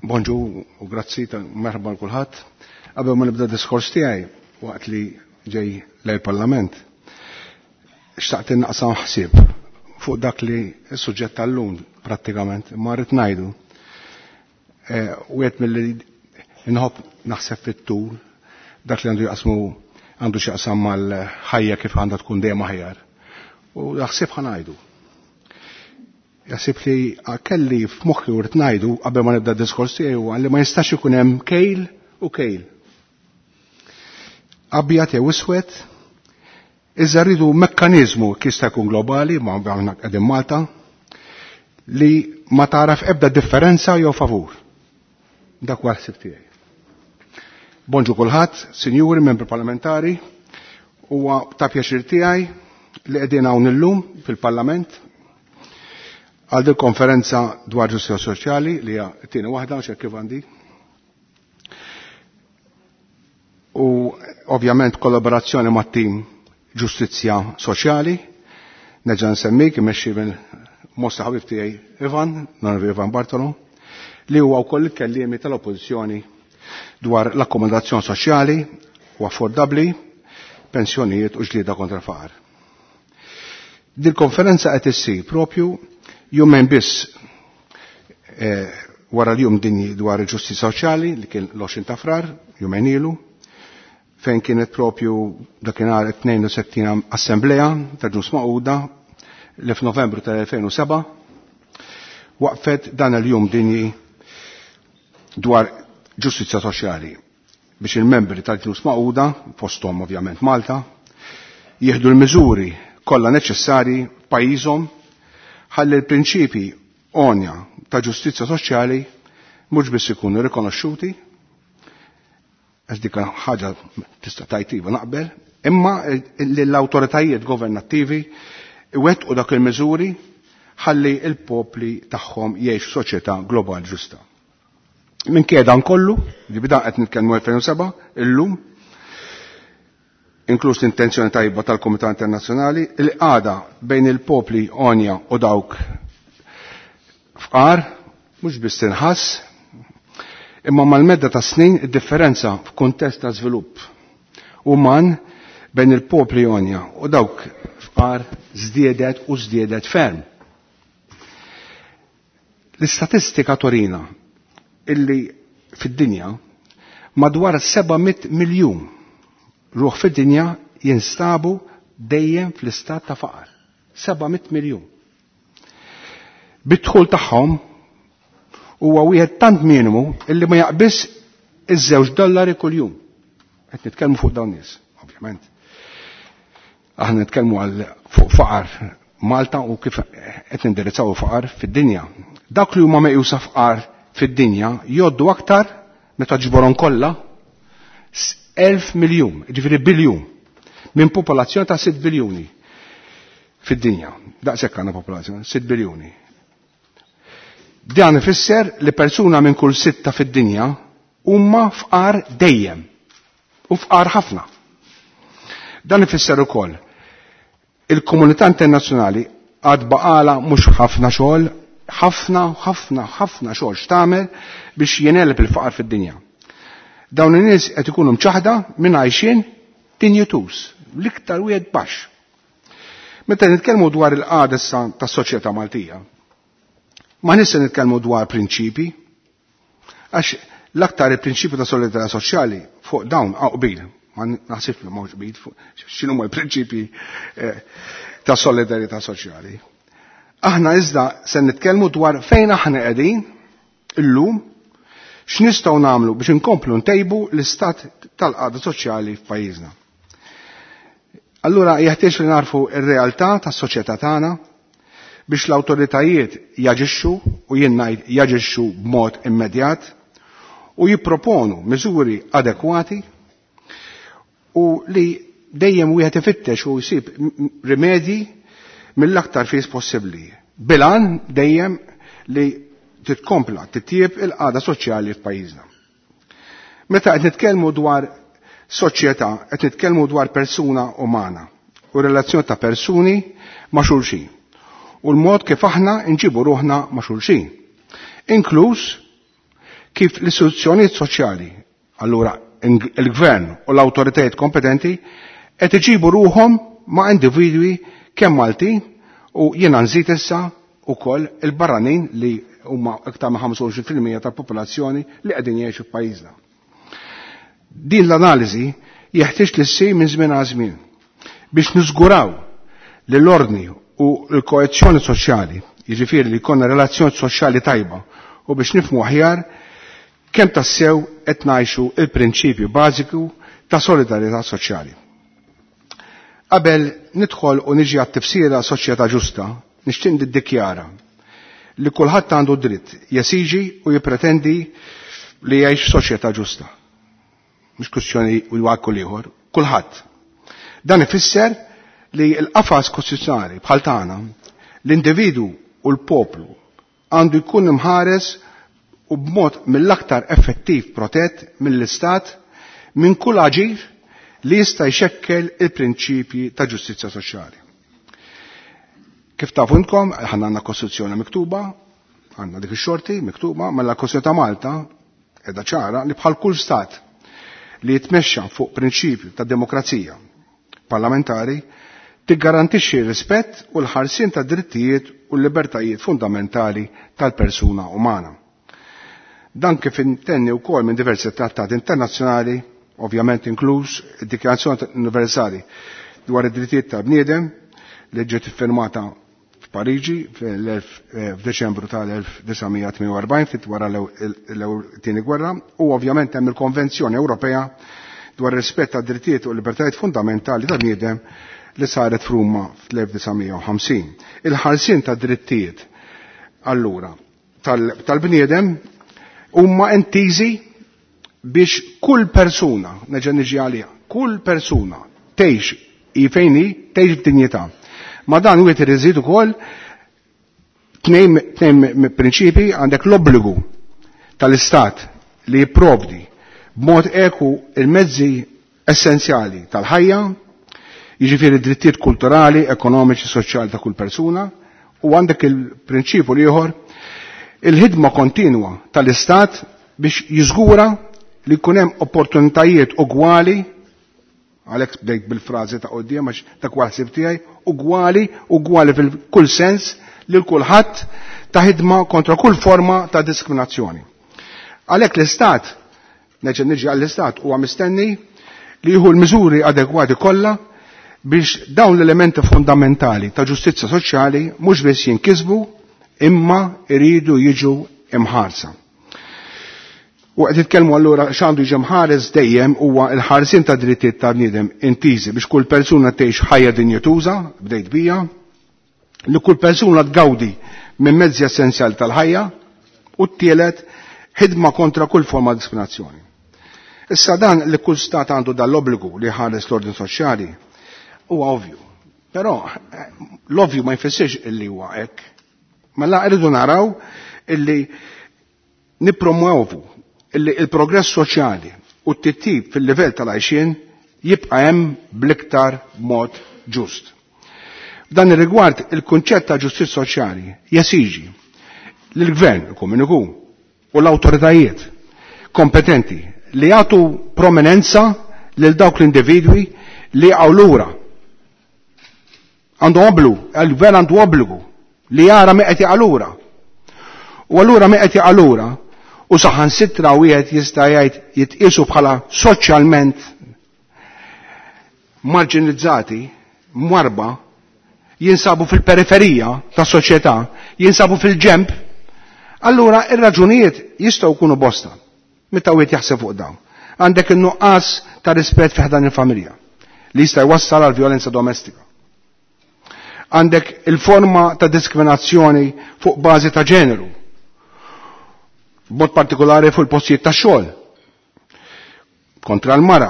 Bonġu u grazzi ta' merħba l kulħadd. Qabel ma nibda diskors tiegħi waqt li ġej lej parlament, xtaqt innaqsam ħsieb fuq dak li s-suġġett tal-lum prattikament ma rrid ngħidu. Wieħed milli nħobb naħseb fit-tul dak li għandu jaqsmu għandu x'jaqsam mal-ħajja kif għandha tkun dejjem aħjar. U naħseb ħa ngħidu. Jaħseb li kelli f'moħħi u rrid ngħidu qabel ma nibda d-diskors tiegħi huwa li ma jistax ikun hemm kejl u kejl. Abjad jew iswed, iżda rridu mekkaniżmu jista' jkun globali, ma aħna qegħdin Malta, li ma taraf ebda differenza jew favur. Dak huwa l-ħsieb tiegħi. Bonġu kulħadd, sinjuri, membri parlamentari, huwa ta' pjaċir tiegħi li qegħdin hawn illum fil-Parlament għal dil konferenza dwar ġustizja soċjali li hija t-tieni waħda x'hekk kif għandi. U ovvjament kollaborazzjoni mat-tim Ġustizzja Soċjali, nerġa' nsemmik imexxi minn mosta ħabib tiegħi Ivan, l-Onorevoli Ivan Bartolo, li huwa wkoll il-kelliemi tal-Oppożizzjoni dwar l-akkomodazzjoni soċjali u affordabbli, pensjonijiet u ġlieda kontra faqar. Dil konferenza qed issir propju jumejn biss wara l-jum dinji dwar il-ġustizzja soċjali li kien l-20 ta' Frar, jumejn ilu, fejn kienet propju dakinhar 62 assemblea ta' Ġnus Magħquda li f'Novembru tal-2007 waqfet dan il-jum dinji dwar ġustizzja soċjali biex il-membri tal-Ġnus Magħquda, fosthom ovvjament Malta, jieħdu l-miżuri kollha neċessarji pajjiżhom ħalli l-prinċipi għonja ta' ġustizzja soċjali mhux biss ikunu rikonoxxuti, għax dik ħaġa tista' tgħid iva naqbel, imma li l-awtoritajiet governattivi iwettqu dak il-miżuri ħalli il-popli tagħhom jgħix f'soċjetà globali ġusta. Minkejja dan kollu, li bida qed nitkellmu 2007, illum, inkluż l-intenzjoni tajba tal-Komitat Internazzjonali, il-qagħda bejn il-popli għonja u dawk fqar, mhux biss tinħass, imma mal-medda ta' snin id-differenza f'kuntest ta' żvilupp uman bejn il-popli għonja u dawk fqar żdiedet u żdiedet ferm. L-istatistika torina illi fid-dinja madwar 700 miljun ruħ fid-dinja jinstabu dejjem fl-istat ta' faqar. 700 miljun. Bid-dħul tagħhom huwa wieħed tant minimu illi ma jaqbiż iż-żewġ dollari kuljum. Qed nitkellmu fuq dawn nies, ovvjament. Aħna nitkellmu għal fuq faqar Malta u kif qed nindirizzaw faqar fid-dinja. Dak li huma meqjusa faqar fid-dinja jgħoddu aktar meta ġborhom kollha 1000 miljun, ġifieri biljun, minn popolazzjoni ta' 6 biljuni fid-dinja. Daqshekk għandna popolazzjoni, 6 biljuni. Dan ifisser li persuna minn kull sitta fid-dinja huma fqar dejjem u fqar ħafna. Dan ifisser ukoll il-komunità internazzjonali għad baqala mhux ħafna xogħol, ħafna, ħafna, ħafna xogħol x'tagħmel biex jeneleb il-faqar fid-dinja. Dawn in-nies qed ikunu mċaħda minn għajxien dinjituż, l-iktar wieħed baxx. Meta nitkellmu dwar il-qagħda issa tas-soċjetà Maltija, ma nista' nitkellmu dwar prinċipi, għax l-aktar il-prinċipju ta' solidarità soċjali fuq dawn hawn qbil, ma naħsibx li m'hawnx qbil fuq x'inhuma l-prinċipji ta' solidarità soċjali. Aħna iżda se nitkellmu dwar fejn aħna qegħdin illum, x'nistgħu nagħmlu biex inkomplu ntejbu l-istat tal-qagħda soċjali f'pajjiżna. Allura jeħtieġ li narfu r-realtà tas-soċjetà tagħna biex l-awtoritajiet jaġixxu u jien ngħid jaġixxu b'mod immedjat u jipproponu miżuri adekwati u li dejjem wieħed ifittex u jsib rimedji mill-aktar fis possibbli. Bilan dejjem li titkompla titjieb il-qagħda soċjali f'pajjiżna. Meta qed nitkellmu dwar soċjetà, qed nitkellmu dwar persuna umana u relazzjoni ta' persuni ma' xulxin u l-mod kif aħna nġibu ruħna ma' xulxin. Inkluż kif l-istituzzjonijiet soċjali, allura il-gvern u l-awtoritajiet kompetenti, qed iġibu ruhom ma' individwi kemm Maltin u jiena nżid issa wkoll il-barranin li huma iktar ma' 25% tal-popolazzjoni li qegħdin jgħixu f'pajjiżna. Din l-analiżi jeħtieġ li ssir minn żmien għal żmien biex niżguraw li l-ordni u l-koezzjoni soċjali, jiġifieri li jkollna relazzjoni soċjali tajba u biex nifhmu aħjar kemm tassew qed ngħixu il-prinċipju bażiku ta' solidarjetà soċjali. Qabel nidħol u niġi għat-tifsira soċjetà ġusta, nixtieq niddikjara li kulħadd għandu dritt jesiġi u jippretendi li jgħix f'soċjetà ġusta. Mhux kwistjoni u jwakku ieħor, kulħadd. Dan ifisser li l-qafas kostituzzjonali bħal tagħna l-individu u l-poplu għandu jkun imħares u b'mod mill-aktar effettiv protett mill-Istat minn kull aġir li jista' jxekkel il-prinċipji ta' ġustizzja soċjali. Kif tafu intkom, ħanna għandna Kostituzzjoni miktuba, għandna dik ix-xorti miktuba, mela l-Kostituzzjoni ta' Malta qiegħda ċara li bħal kull stat li jitmexxa fuq prinċipju ta' demokrazija parlamentari tiggarantixxi r-rispett u l-ħarsien ta' drittijiet u l-libertajiet fundamentali tal-persuna umana. Dan kif intenni wkoll minn diversi trattati internazzjonali, ovvjament inkluż id-Dikjarazzjoni Universali dwar id-drittijiet tal-bniedem li ġiet iffirmata f'Pariġi f'Deċembru tal-1948 ftit wara l-tieni gwerra u ovvjament hemm il-Konvenzjoni Ewropea dwar rispett tad drittijiet u libertajiet fundamentali tal-bniedem li saret f'Ruma fl-1950. Il-ħarsien ta' drittijiet allura tal-bniedem huma intiżi biex kull persuna, neġa' niġi għaliha, kull persuna tgħix hi fejn hi, tgħix b'dinjità. Ma dan wieħed irid ukoll tnejn prinċipi għandek l-obbligu tal-Istat li jipprovdi b'mod eku il-mezzi essenzjali tal-ħajja, jiġifieri drittijiet kulturali, ekonomiċi, soċjali ta' kull persuna, u għandek il-prinċipju l-ieħor il-ħidma kontinwa tal-Istat biex jiżgura li jkun hemm opportunitajiet ugwali għalhekk bdejt bil-frażi ta' quddiem għax ta' kwal ħsieb tiegħi, ugwali, ugwali fil-kull sens lil kulħadd ta' ħidma kontra kull forma ta' diskriminazzjoni. Għalhekk l-Istat, neġa' niġi għall-Istat huwa mistenni li jieħu l-miżuri adegwati kollha biex dawn l-elementi fundamentali ta' ġustizzja soċjali mhux biss jinkisbu imma iridu jiġu imħarsa. U qed titkellmu allura x'għandu jiġi mħares dejjem huwa l-ħarsien ta' drittijiet ta' bniedem intiżi biex kull persuna tgħix ħajja dinjetuża, bdejt bija, li kull persuna tgawdi minn mezzi essenzjali tal-ħajja u t-tielet ħidma kontra kull forma diskriminazzjoni. Issa dan li kull stat għandu dal-obbligu li ħares l-ordin soċjali huwa ovvju. Però l-ovvju ma jfissirx illi huwa hekk. Mela rridu naraw illi nippromuovu illi il-progress soċjali u t-tittib fil-livell tal-għajxien jibqa' hemm bl-iktar mod ġust. F'dan ir-rigward il-kunċett ta' ġustizzja soċjali jesiġi li l-gvern ikun min ikun u l-awtoritajiet kompetenti li jagħtu prominenza lil dawk l-individwi li jaqgħu lura. Għandu obbligu, il-gvern għandu obbligu li jara min qed jaqa' lura. U allura min qed jaqa' lura u saħansitra wieħed jista' jgħid jitqiesu bħala soċjalment marginalizzati, mwarba, jinsabu fil-periferija tas soċjetà, jinsabu fil-ġemp, allura ir-raġunijiet jistgħu jkunu bosta. Meta wieħed jaħseb fuq dawn. Għandek in-nuqqas ta' rispett fi ħdan il-familja li jista' jwassal għal vjolenza domestika. Għandek il-forma ta' diskriminazzjoni fuq bażi ta' ġeneru, b'mod partikolari fuq il-postijiet ta' xogħol kontra l-mara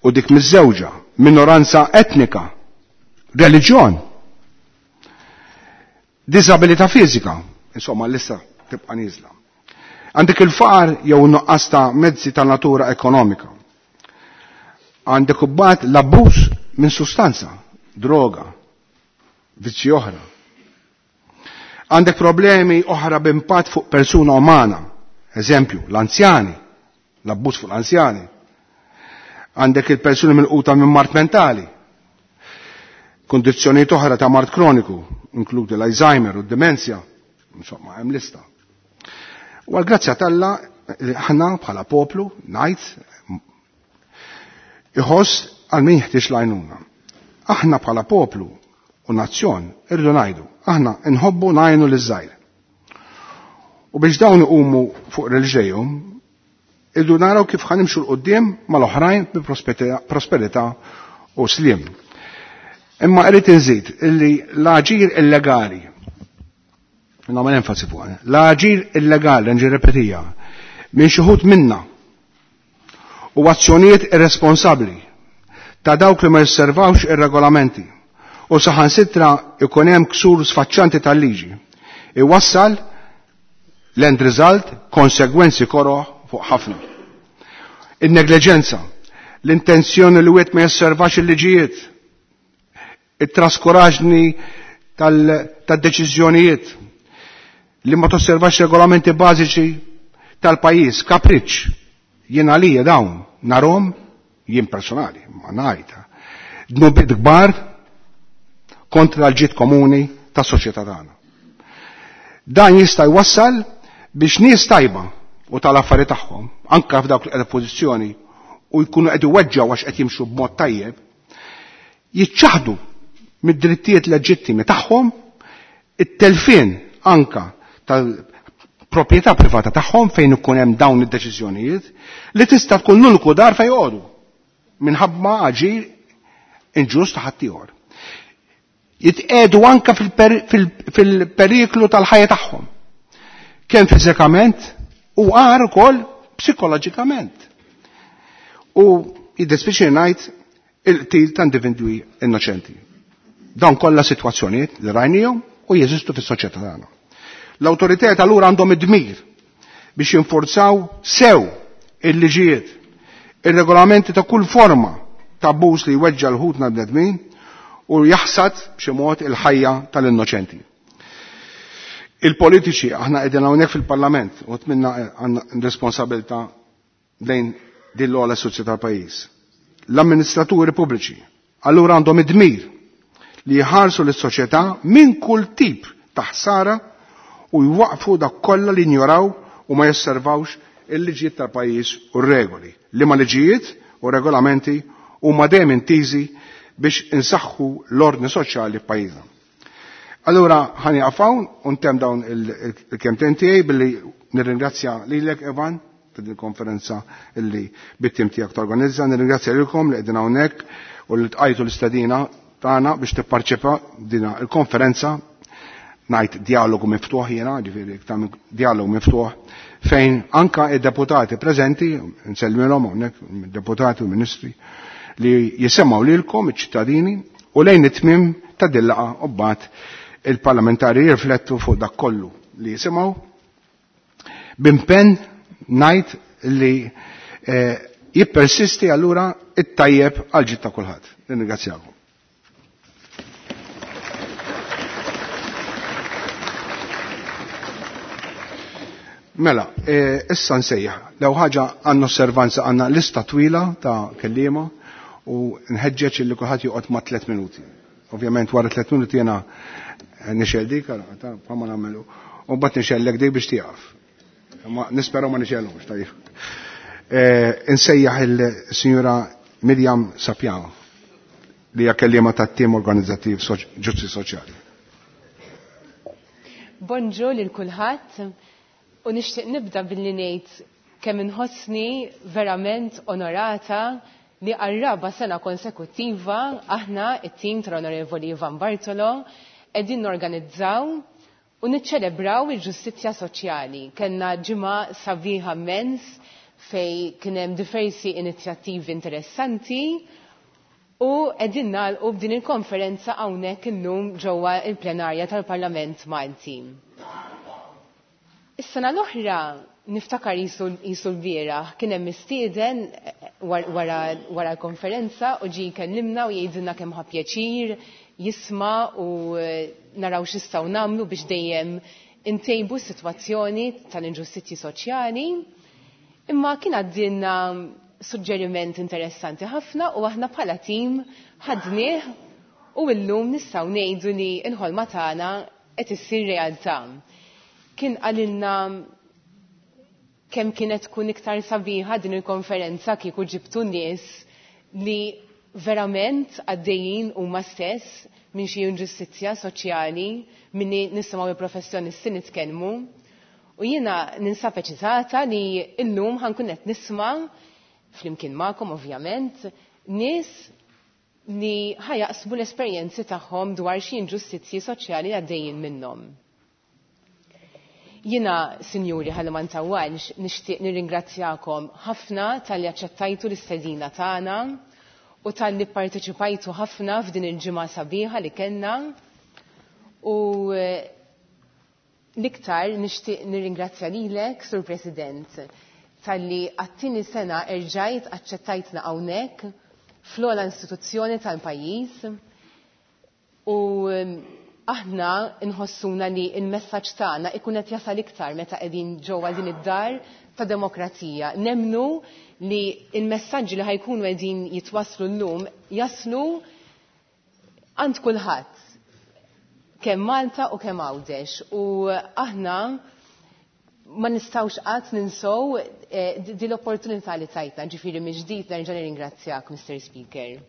u dik miż-żewġa, minoranza etnika, reliġjon, disabilità fiżika, insomma l-lista tibqa' nieżla. Għandek il-faqar jew nuqqas ta' mezzi ta' natura ekonomika. Għandek imbagħad l-abbuż minn sustanza, droga, vizzji oħra. Għandek problemi oħra b'impatt fuq persuna umana, Eżempju, l-anzjani, l-abbuż fuq l-anzjani. Għandek il-persuni milquta minn mard mentali, kondizzjonijiet oħra ta' mard kroniku, inkludi l-Alzheimer u d-demenzja, insomma, hemm lista. U għal-grazzja t'Alla, ħna bħala poplu, ngħid, iħoss għal min jeħtieġ l-għajnuna. Aħna bħala poplu u nazzjon irridu ngħidu, aħna nħobbu ngħinu liż-żgħir. U biex dawn iqumu fuq reliġejhom, irridu naraw kif ħanimxu 'l quddiem mal-oħrajn bi prosperità u sliem. Imma irrid inżid illi l-aġir illegali, nagħmel enfasi fuq, l-aġir illegali, nġi repetija, minn xi wħud minna u azzjonijiet irresponsabbli ta' dawk li ma josservawx ir-regolamenti u saħansitra ikun hemm ksur sfaċċanti tal-liġi, iwassal l-end result konsegwenzi koroh fuq ħafna. In-negliġenza, l-intenzjoni li wieħed ma josservax il-liġijiet, it-traskuraġni tad-deċiżjonijiet, li ma tosservax regolamenti bażiċi tal-pajjiż, kapriċċ, jien għalija dawn narhom jien personali, ma ngħid, dnubiet kbar kontra l-ġid komuni tas-soċjetà tagħna. Dan jista' jwassal biex nies tajba u tal-affari tagħhom, anke f'dawk li qed pożizzjoni u jkunu qed iweġġgħu għax qed jimxu b'mod tajjeb, jiċċaħdu mid-drittijiet leġittimi tagħhom, it-telfien anka tal-proprjetà privata tagħhom fejn ikun hemm dawn id-deċiżjonijiet li tista' tkun l-uniku dar fejn joqogħdu minħabba aġir inġust ta' ħaddieħor. Jitqegħdu anka fil-periklu tal-ħajja tagħhom. Kemm fiżikament u għar ukoll psikoloġikament. U jiddispjaċini ngħid il-qtil ta' individwi innoċenti. Dawn kollha sitwazzjonijiet li rajnihom u jeżistu fis-soċjetà tagħna. L-awtoritajiet allura għandhom id-dmir biex jinforzaw sew il-liġijiet, ir-regolamenti ta' kull forma ta' abbuż li jweġġa' l-ħutna bnedmin u jaħsad b'xi mod il-ħajja tal-innoċenti. Il-politiċi aħna qegħdin hawnhekk fil-Parlament u tminna għandna responsabilità lejn din l-ogħla soċjetà tal-pajjiż. L-amministraturi pubbliċi allura għandhom id-dmir li jħarsu lis-soċjetà minn kull tip ta' ħsara u jwaqfu dak kollha li jinjoraw u ma josservawx il-liġijiet tal-pajjiż u r-regoli. Liema liġijiet u regolamenti huma dejjem intiżi biex insaħħu l-ordni soċjali f'pajjiżna. Allura ħani hawn u ntemm dawn il-kemtejn tiegħi billi nirringrazzja lilek Evan ta' din il-konferenza illi bit-tim tiegħek torganizza, nirringrazzja lilkom li qegħdin hawnhekk u li tqajtu l-istedina tagħna biex tipparċipa dina il-konferenza ngħid dialogu miftuħ jiena, ġifieri iktar dialogu miftuħ fejn anka id-deputati preżenti, nsellmilhom hawnhekk deputati u ministri, li jisemgħu lilkom iċ-ċittadini u lejn it-tmiem ta' din laqgħa u mbagħad il-parlamentari jirriflettu fuq dak kollu li jisimgħu. B'impenn ngħid li jippersisti allura it-tajjeb għal ġid ta' kulħadd. Nirringrazzjakom. Mela, issa nsejjaħ. Lew ħaġa għandna osservanza għandna lista twila ta' kelliema u nħeġġeġ illi kulħadd joqgħod ma' 3 minuti. Ovvjament wara 3 minuti jiena nixgħel dik, bħalma nagħmlu. U mbagħad nixgħellek dik biex tieqaf. Ma nisperaw ma nixgħelhomx, tajjeb. Insejjaħ il-Sinjura Miriam Sapiano li hija kelliema tat-tim organizzattiv Ġustizzja Soċjali. Bonġu lil kulħadd u nixtieq nibda billi ngħid kemm inħossni verament onorata li għar-raba sena konsekuttiva aħna it-tim tal-Onorevoli Ivan Bartolo qegħdin norganizzaw u niċċelebraw il-ġustizzja soċjali. Kellna ġimgħa sabiħa immens fej kien hemm diversi inizjattivi interessanti u qegħdin nagħlqu b'din il-konferenza hawnhekk illum ġewwa il-plenarja tal-Parlament Malti. Is-sena l-oħra niftakar jisu l-bieraħ kien hemm mistieden wara l-konferenza u ġie jkellimna u jgħidilna kemm ħa pjaċir jisma' u naraw x'istgħu nagħmlu biex dejjem intejbu s-sitwazzjoni tal-inġustizzji soċjali, imma kien għaddilna suġġeriment interessanti ħafna u aħna bħala tim ħadnieh u llum nistgħu ngħidu li l-ħolma tagħna qed issir realtà. Kien qalilna kemm kienet tkun iktar sabiħa din il-konferenza kieku ġibtu nies li verament għaddejjin huma stess minn xi inġustizzja soċjali minni nisimgħu il-professjonisti nitkellmu. U jiena ninsab eċitata li llum ħankun qed nisma' flimkien magħkom ovvjament nies li ħajaqsmu l-esperjenzi tagħhom dwar xi inġustizzji soċjali għaddejjin minnhom. Jiena, sinjuri, ħalli ma ntawwalx, nixtieq nirringrazzjakom ħafna talli aċċettajtu l-istedina tagħna u talli pparteċipajtu ħafna f'din il-ġimgħa sabiħa li kellna. U l-iktar nixtieq nirringrazzja lilek, Sur President, talli għat-tieni sena erġajt aċċettajtna hawnhekk fl-ogħla istituzzjoni tal-pajjiż u aħna nħossuna li il-messaġġ tagħna ikun qed jasal iktar meta qegħdin ġewwa din id-dar ta' demokrazija. Nemnu li il-messaġġi li ħajkunu qegħdin jitwasslu llum jaslu għand kulħadd, kemm Malta u kemm Għawdex. U aħna ma nistgħux qatt ninsow din l-opportunità li tajtna, ġifieri mill-ġdid nerġa' nirringrazzjak, Mr. Speaker.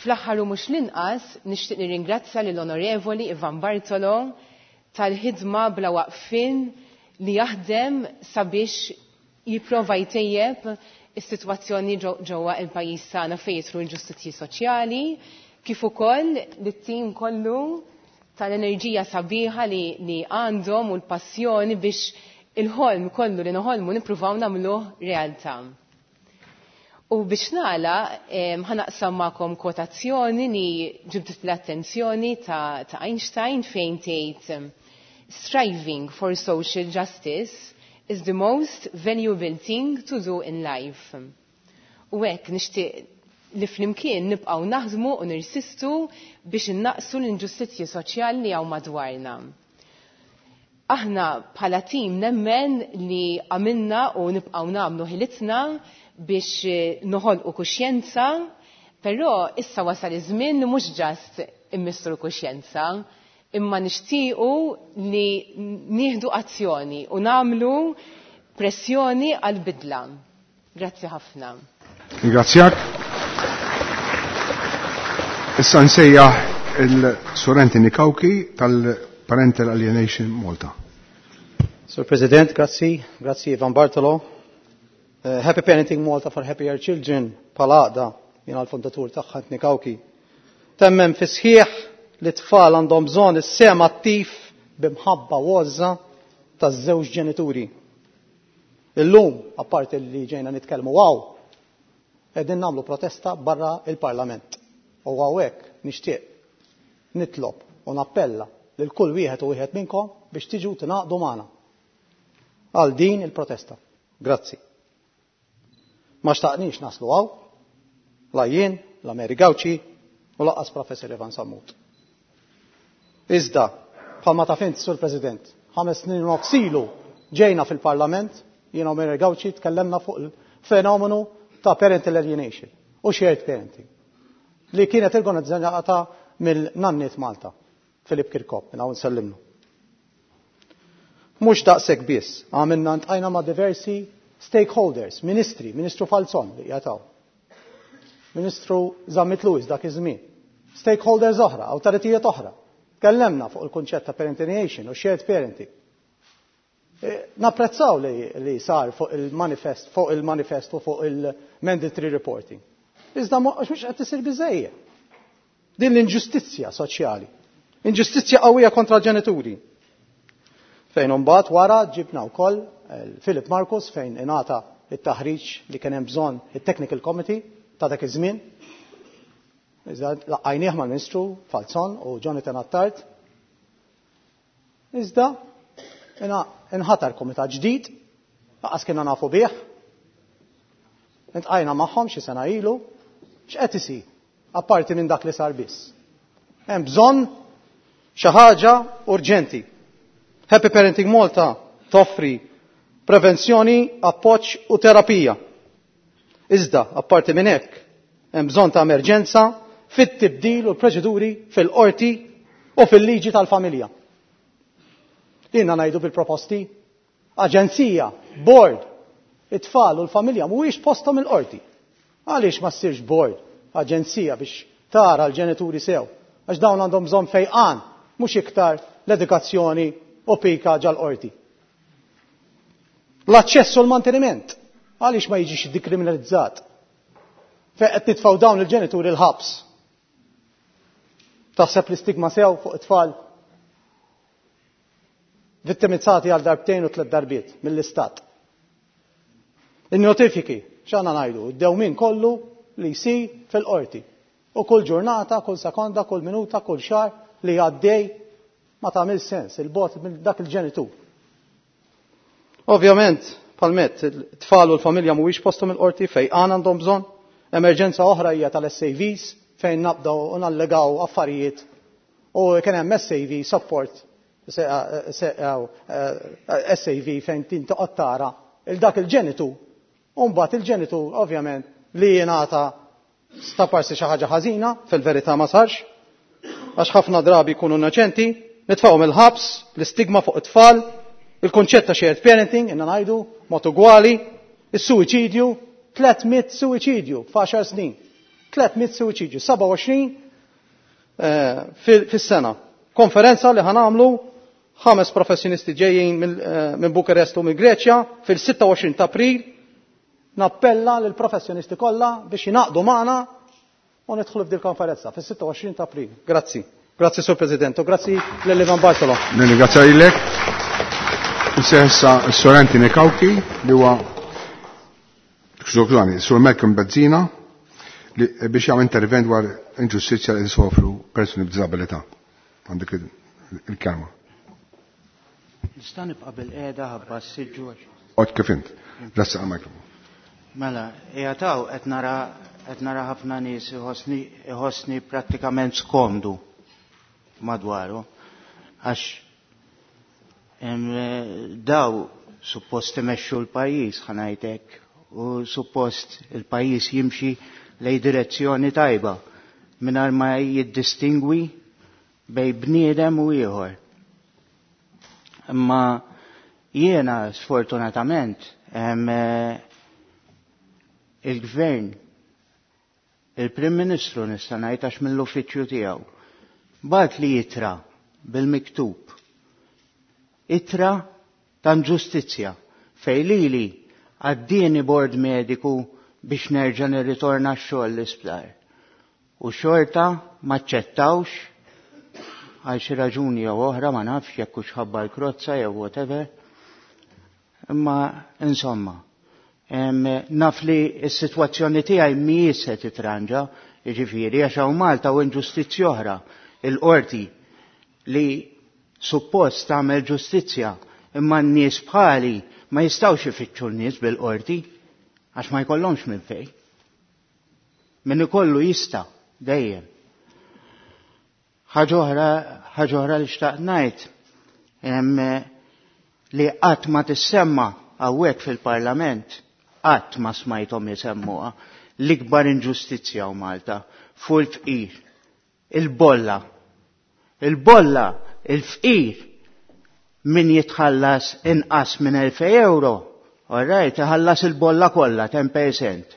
Fl-aħħar u mhux l-inqas nixtieq nirringrazzja lill-Onorevoli Ivan Bartolo tal-ħidma bla waqfien li jaħdem sabiex jipprova jtejjeb is-sitwazzjoni ġewwa il-pajjiż tagħna fejn jidħlu l-ġustizzji soċjali, kif ukoll lit-tim kollu tal-enerġija sabiħa li għandhom u l-passjoni biex il-ħolm kollu li noħolmu nippruvaw nagħmluh realtà. U biex nagħlaq ħanaqsam magħkom kwotazzjoni li ġibdet l-attenzjoni ta' Einstein fejn tgħid striving for social justice is the most valuable thing to do in life. U hekk nixtieq li flimkien nibqgħu naħdmu u nirsistu biex innaqsu l-inġustizzji soċjali li hawn madwarna. Aħna bħala tim nemmen li għamilna u nibqgħu nagħmlu ħilitna biex noħolqu kuxjenza, però issa wasal iż-żmien li mhux ġast immissru kuxjenza, imma nixtiequ li nieħdu azzjoni u nagħmlu pressjoni għal-bidla. Grazzi ħafna. Ringrazzjak. Issa nsejjaħ il-Sur Anthony Cauchi tal-Parental Alienation Malta. Sir President, grazzi, grazzi Ivan Bartolo. Happy Parenting Malta for Happier Children, palaqda, jena l-fondatur tagħha Anthony Cauchi. Temmen fi sħiħ li tfal għandhom bżonn is-sem attiv b'imħabba u għożża taż-żewġ ġenituri. Illum, apparti li ġejna nitkellmu għaw, qegħdin nagħmlu protesta barra il-Parlament. U hawnhekk nixtieq nitlob u nappella lil kull wieħed u wieħed minnkom biex tiġu tingħaqdu magħna għal din il-protesta. Grazzi. Ma xtaqniex naslu għaw, la jien, la Mary Gauci u laqqas Professor Ivan Sammut. Iżda, bħalma taf int, Sur President, 5 snin u nofs ilu ġejna fil-Parlament, jiena u Mary Gauci tkellemna fuq il-fenomenu ta' parental alienation u shared parenting, li kienet organizzata mill-Nanniet Malta, Filip Kirkop, minn hawn nsellimlu. Mhux daqshekk biss, għamilna ntqajna ma' diversi stakeholders, ministri, Ministru Falzon li jataw, Ministru Zammit Lewis dak iż-żmien, stakeholders oħra, awtoritajiet oħra. Tkellemna fuq il-kunċett ta' parental alienation u shared parenting. Napprezzaw li sar fuq il-manifest, fuq il-manifest u fuq il-mandatory reporting. Iżda mhux qed isir biżejjed. Din l-inġustizzja soċjali, inġustizzja qawwija kontra l-ġenituri. Fejn imbagħad wara ġibna wkoll Philip Marcus fejn ingħata it-taħriġ li kien hemm bżonn it-Technical Committee ta' dak iż-żmien. Iżda laqajnieh mal-Ministru Falzon u Jonathan Attard. Iżda inħatar komitat ġdid, laqas kienna nafu bih. Intqajna magħhom xi sena ilu, x'qed isir apparti minn dak li sar biss. Hemm bżonn xi ħaġa urġenti. Happy Parenting Malta toffri prevenzjoni, appoġġ u terapija. Iżda, apparti minn hekk, hemm bżonn ta' emerġenza fit-tibdil u l-proċeduri fil-qorti u fil-liġi tal-familja. Jiena ngħidu bil-proposti, aġenzija, board, it-tfal u l-familja mhuwiex posthom il-qorti. Għaliex ma ssirx board, aġenzija biex tara l-ġenituri sew, għax dawn għandhom bżonn fejqan, mhux iktar l-edukazzjoni u pika ġal-qorti. L-aċċess u l-manteniment, għaliex ma jiġix dikriminalizzat? Fejn qed nitfgħu dawn il-ġenituri l-ħabs. Taħseb l-istigma sew fuq it-tfal vittimizzati għal darbtejn u tliet darbiet mill-istat. In-notifiki, x'għandna ngħidu, id-dewmien kollu li jsir fil-qorti. U kull ġurnata, kull sekonda, kull minuta, kull xahar li għaddej ma tagħmel sens il-bot minn dak il-ġenitur. Ovvjament, palmet, it-tfal u l-familja mhuwiex posthom il-qorti fejn għandhom bżonn. Emerġenza oħra hija tal-SAVs fejn nabdaw u nallegaw affarijiet u kien hemm SAV support SAV fejn tintoqgħod tara il dak il-ġenitur. U mbagħad il-ġenitur ovvjament li jingħata staparsi xi ħaġa ħażina, fil-verità ma sarx, għax ħafna drabi jkunu innoċenti, nitfgħuhom il-ħabs, l-istigma fuq it-tfal, il-konċett ta' shared parenting, inna ngħidu, mod ugwali, is-suwiċidju, 300 suwiċidju f'għaxar snin. 300 suwiċidju, 27 fis-sena. Konferenza li ħanamlu 5 professjonisti ġejjin minn Bukarest u minn Greċja fil-26 ta' April. Nappella lill professjonisti kollha biex jingħaqdu magħna u nidħlu f'dil konferenza fis-26 ta' April. Grazzi. Grazzi Sur President u grazzi lil Ivan Bartolo. Nirringrazzja lilek. Issa s-Sur Anthony Cauchi li huwa skużani, Sur Malcolm Bezzina li biex jagħmel intervent dwar inġustizzja li sofru persuni b'diżabilità. Għandek il-kelma. Nista' nibqa' bil-qiegħda ħabba s-siġġu. Għod kif int. Grazzi għal-mikrofon. Mela, qiegħed qed nara ħafna nies iħossni prattikament skomdu madwaru għax daw suppost imexxu l-pajjiż ħanajtek u suppost il-pajjiż jimxi lej direzzjoni tajba mingħajr ma jiddistingwi bej bniedem u ieħor. Imma jiena sfortunatament il-gvern, il-Prim Ministru nista' ngħid għax mill-uffiċċju tiegħu, bagħat li itra bil-miktub. Itra ta' ġustizzja fejn lili għaddieni bord mediku biex nerġa' nirritorna x-xogħol l-isptar. U xorta maċċettawx għal xi raġuni jew oħra ma nafx jekk hux ħabba l-krozza jew whatever. Imma insomma, naf li s-sitwazzjoni tiegħi mhijiex se titranġa, jiġifieri għax hawn Malta u inġustizzja oħra, il-qorti li suppost tagħmel ġustizzja, imma n-nies bħali ma jistgħux ifittxu n-nies bil-qorti għax ma jkollhomx minn fejn. Min ikollu jista' dejjem. Ħaġa oħra li xtaqt ngħid li qatt ma tissemma hawnhekk fil-Parlament, qatt ma smajthom jisemmuha, l-ikbar inġustizzja hawn Malta fuq il-fqir, il-bolla. Il-bolla, il-fqir min jitħallas inqas minn 2000 euro, all right, iħallas il-bolla kollha 10%.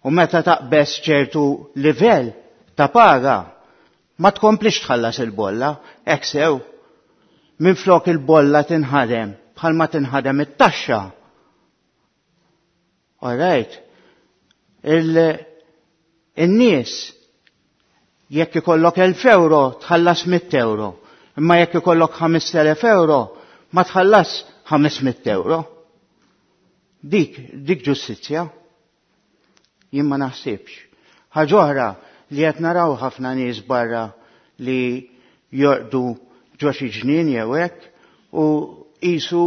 U meta taqbeż ċertu livell ta' paga, ma tkomplix tħallas il-bolla, hekk sew. Minflok il-bolla tinħadem bħalma tinħadem it-taxxa. All right. Il-nies jekk ikollok 1000 euro tħallas 100 euro, imma jekk ikollok 5000 euro ma tħallas 500 euro. Dik ġustizzja. Jien ma naħsibx. Ħaġa oħra li qed naraw ħafna nies barra li jorqdu ġo xi ġnien jew hekk u qisu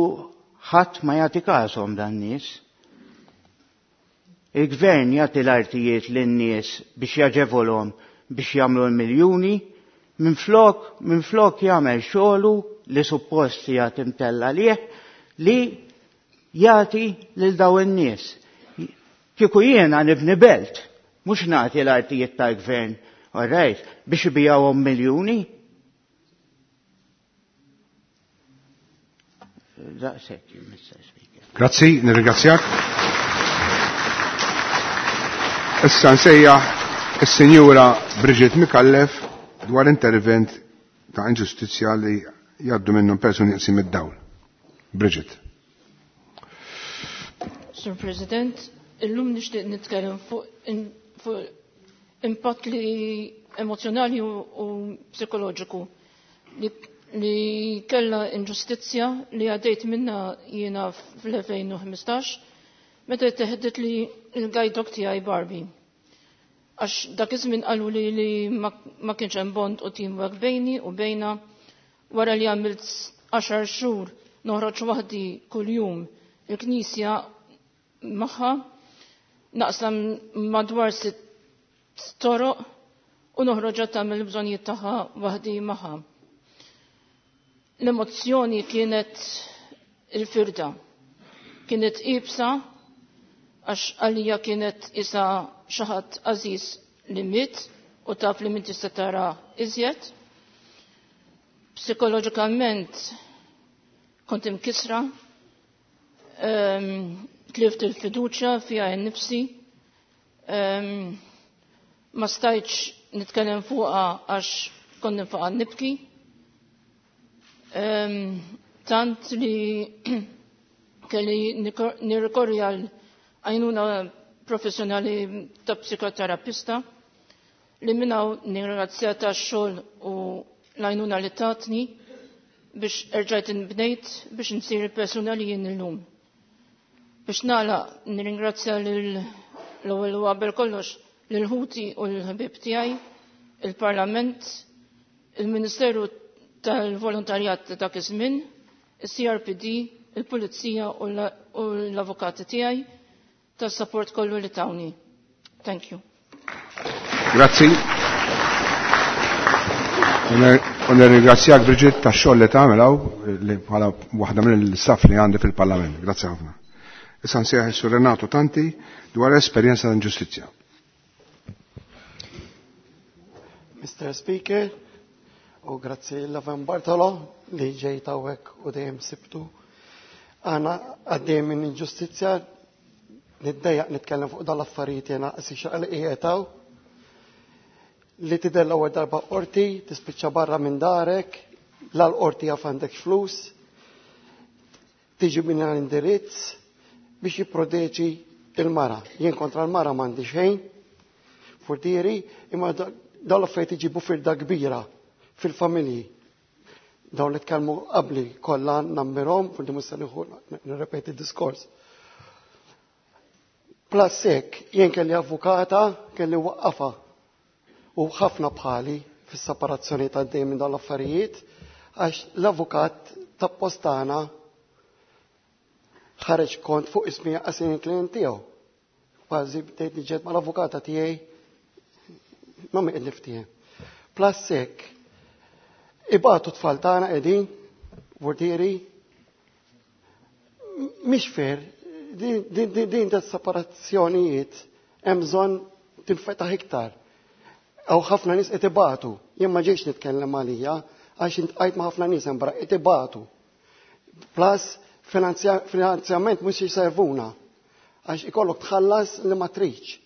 ħadd ma jagħti każhom dan nies. Il-gvern jagħti l-artijiet lin-nies biex jaġevolhom biex jagħmlu l-miljuni, Minflok, minflok jagħmel xogħlu li suppost jagħti mtella lih li jagħti lil daw in-nies. Kieku jiena nibni belt, mhux nagħti l-artijiet tal-gvern, all right, biex ibijawhom miljuni. Daqshekk, Mr. Speaker. Grazzi, nirringrazzjak. Issa nsejjaħ is-Sinjura Brigitte Micallef dwar intervent ta' inġustizzja li jgħaddu minnhom persuni jaqsim id-dawl. Brigitte. Sur President, illum nixtieq nitkellem fuq fu impatt li emozjonali u psikoloġiku li, li kella inġustizzja li għaddejt minna jiena fl-2015 meta teħdet li il-guide dog tiegħi Barbie. Għax dak iż-żmien qalu li, li ma, ma kienx hemm bond u teamwork bejni u bejna wara li għamilt 10 xhur noħroġ waħdi kuljum il-knisja magħha naqsam madwar sitt toroq u noħroġ tagħmel bżonnijiet tagħha waħdi magħha. L-emozzjoni kienet il-firda. Kienet ibsa għax għalija kienet isa xi ħadd għażiż li miet u taf li min tista' tara iżjed. Psikoloġikament kont imkisra, tlift il-fiduċja fija nnifsi, ma stajtx nitkellem fuqha għax kont ninfaqa' nibki. Tant li kelli nirrikorri għal għajnuna professjonali ta' psikoterapista li minnaw nirringrazzja ta' xogħol u l-għajnuna li tatni biex erġajt nbnejt biex nsir il-persuna li jien illum. Biex nagħlaq nirringrazzja l-ewwel u qabel kollox lil ħuti u l-ħbieb tiegħi, il-Parlament, il-Ministeru tal-Volontarjat ta' dak iż-żmien, il-CRPD, il-Pulizija u l-avukati tiegħi tas-support kollu li tawni. Thank you. Grazzi. U nirringrazzjak Brigitte tax-xogħol li tagħmel hawn li bħala waħda mill-staff li għandi fil-Parlament. Grazzi ħafna. Issa nsejjaħ is-Sur Renato Tanti dwar esperjenza ta' inġustizzja. Mr. Speaker, u grazzi l-Ivan Bartolo li ġejt hawnhekk u dejjem sibtu. Għana għaddej minn inġustizzja, niddejjaq nitkellem fuq dal-affarijiet jena qasi xaqal qiegħed li tidher l-ewwel darba qorti, tispiċċa barra minn darek, la l-qorti jaf għandek flus, tiġi minn l-indirizz biex jipproteġi il-mara. Jien kontra l-mara m'għandi xejn, furtieri, imma dawn l-affarijiet iġibu firda kbira fil-familji. Dawn li tkellmu qabli kollha nammirhom, forsi mhux se nieħu nirrepeti d-diskors. Plus hekk, jien kelli avukata, kelli waqqafa u ħafna bħali fis-separazzjoni ta' dejjem minn dawn l-affarijiet għax l-avukat ta' postana ħareġ kont fuq ismi għasin il-klient tiegħu. Kważi bdejt niġġed mal-avukata tiegħi ma mi qed niftiehem. Plus hekk, ibatu tfal tagħna qegħdin, vortieri, mhix fair, din ta' separazzjonijiet hemm bżonn tinfetaħ iktar. Aw ħafna nies qed ibatu, jien ma ġejx nitkellem għalija għax intqajt ma' ħafna nies hemm barra qed ibatu. Plus finanzjament mhux jiservuna għax ikollok tħallas li ma tridx.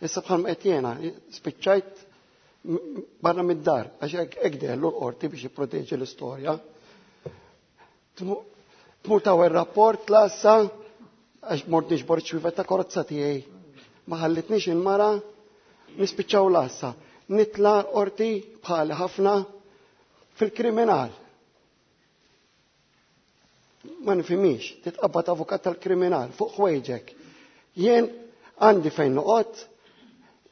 Issa bħalma qed jiena spiċċajt barra mid-dar għax hekk deħlu l-qorti biex jipproteġi l-istorja. Tmur taw ir-rapport lassa għax mort niġbor ċwievet ta' karozza tiegħi. Ma ħallitniex il-mara nispiċċaw lassa. Nitla qorti bħali ħafna fil-kriminal. Ma nifhimix, titqabbad avukat tal-kriminal fuq ħwejġek. Jien għandi fejn noqgħod,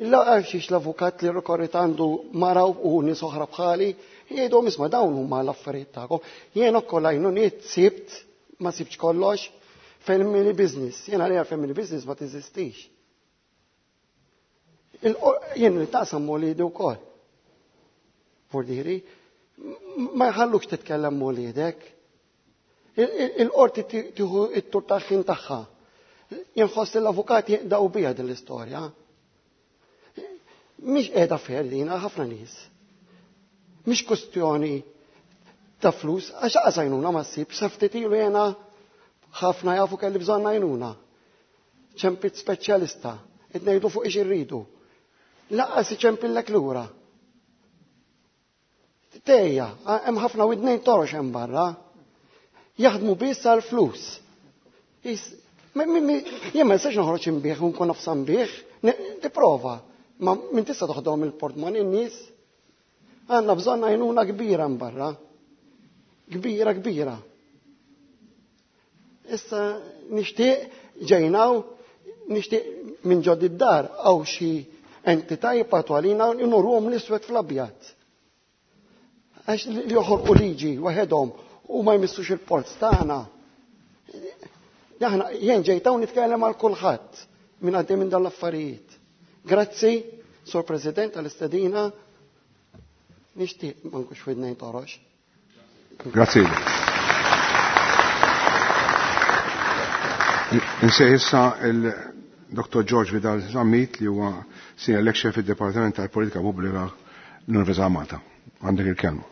illa għax l-avukat li rikorrit għandu mara u nies oħra bħali, jgħidhom isma' dawn huma l-affarijiet tagħkom. Jien ukoll għajnuniet sibt, ma sibtx kollox, family business. Jien għalija family business ma teżistix. Jien li taqsam u li wkoll. Vordiri, ma jħallux titkellem m'uliedek. Il-qorti tieħu t-tur tal-ħin tagħha. Jinħoss l-avukat jinqdaw bija din l-istorja. Mhix qiegħda fair din għal ħafna nies. Mhix kwestjoni ta' flus, għax aqas għajnuna ma ssib, sa ftit ilu jiena ħafna jafu kelli bżonn għajnuna. Ċempit speċjalista, qed ngħidu fuq ix irridu. Laqqas iċempillek lura. Tejja, hemm ħafna widnejn torox hemm barra. Jaħdmu biss għal flus. Jien ma nistax noħroġ imbieħ u nkun nofsa nbieħ, tipprova. Ma min tista' toħdom il-portmoni n-nies. Għandna bżonn għajnuna kbira barra. Kbira, kbira. Issa nixtieq ġejnaw, nixtieq minn ġod id-dar għaw xi entità jibgħatu għalina nurruhom l-iswed fl-abjad. Għax li joħorqu liġi waħedhom u ma jmissux il-ports tagħna. Aħna jien ġejt hawn nitkellem għal kulħadd minn għaddej minn dawn l-affarijiet. Grazzi, Sur President, għall-istedina. Nixtieq ma nkunx f'idnejn torox. Grazzi. Insejħ issa il-Dr. George Vidal Zammit li huwa senior lecturer fid-Dipartiment tal-Politika Pubblika l-Università Malta. Għandek il-kelma.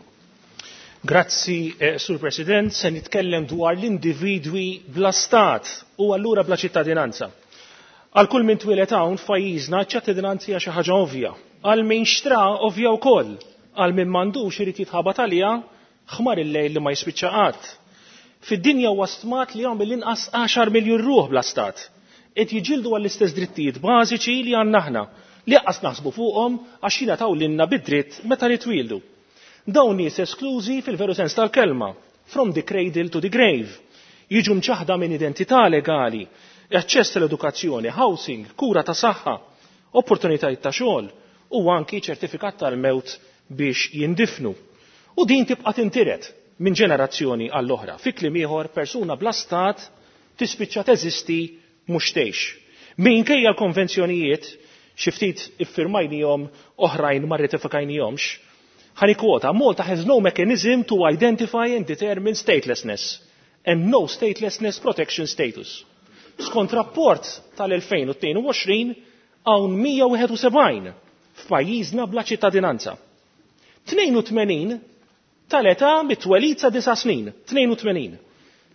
Grazzi, Sur President, se nitkellem dwar l-individwi bla stat u allura bla ċittadinanza. Għal kull min twieled hawn f'pajjiżna ċ-ċittadinanza hija xi ħaġa ovvja. Għal min xtra ovvja wkoll. Għal min m'għandux irid jitħabat għaliha ħmar il-lejl li ma jispiċċa qatt. Fid-dinja huwa stmat li hawn mill-inqas 10 miljun ruħ bla stat. Qed jiġildu għall-istess drittijiet bażiċi li għandna aħna, li anqas naħsbu fuqhom għax jingħataw lilna bid-dritt meta nitwieldu. Dawn nies esklużi fil-veru sens tal-kelma, from the cradle to the grave. Jiġu mċaħda minn identità legali, aċċess tal-edukazzjoni, housing, kura ta' saħħa, opportunitajiet ta' xogħol u anki ċertifikat tal-mewt biex jindifnu. U din tibqa' tintiret minn ġenerazzjoni għall-oħra. Fi kliem ieħor, persuna bla stat tispiċċa teżisti mhux tgħix. Minkejja l-konvenzjonijiet, xi ftit iffirmajnihom oħrajn ma rratifikajnihomx, ħa nikkwota, Malta has no mechanism to identify and determine statelessness and no statelessness protection status. Skont rapport tal-2022 hawn 171 f'pajjiżna bla ċittadinanza. 82 tal-età mit-twelid sa 9 snin, 82.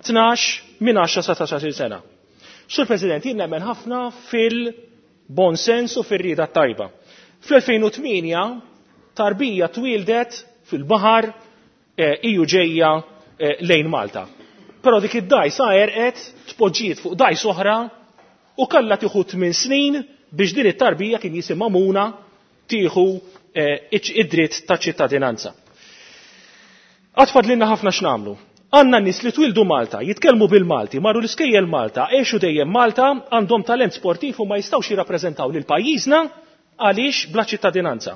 12 minn 10 sa 19 sena. Sur President, jien nemmen ħafna fil-bon sens u fir-rieda tajba. Fl-2008 tarbija twildet fil-baħar iju ġejja lejn Malta. Però dik id-dajsa għerqet, tpoġġiet fuq dajs oħra u kellha tieħu 8 snin biex din it-tarbija kien jisimha Muna tieħu id-dritt ta' ċittadinanza. Għad fadlilna ħafna x'nagħmlu. Għandna nies li twildu Malta, jitkellmu bil-Malti, marru l-iskejjel Malta, għexu dejjem Malta, għandhom talent sportiv u ma jistgħux jirrappreżentaw lil pajjiżna għaliex bla ċittadinanza.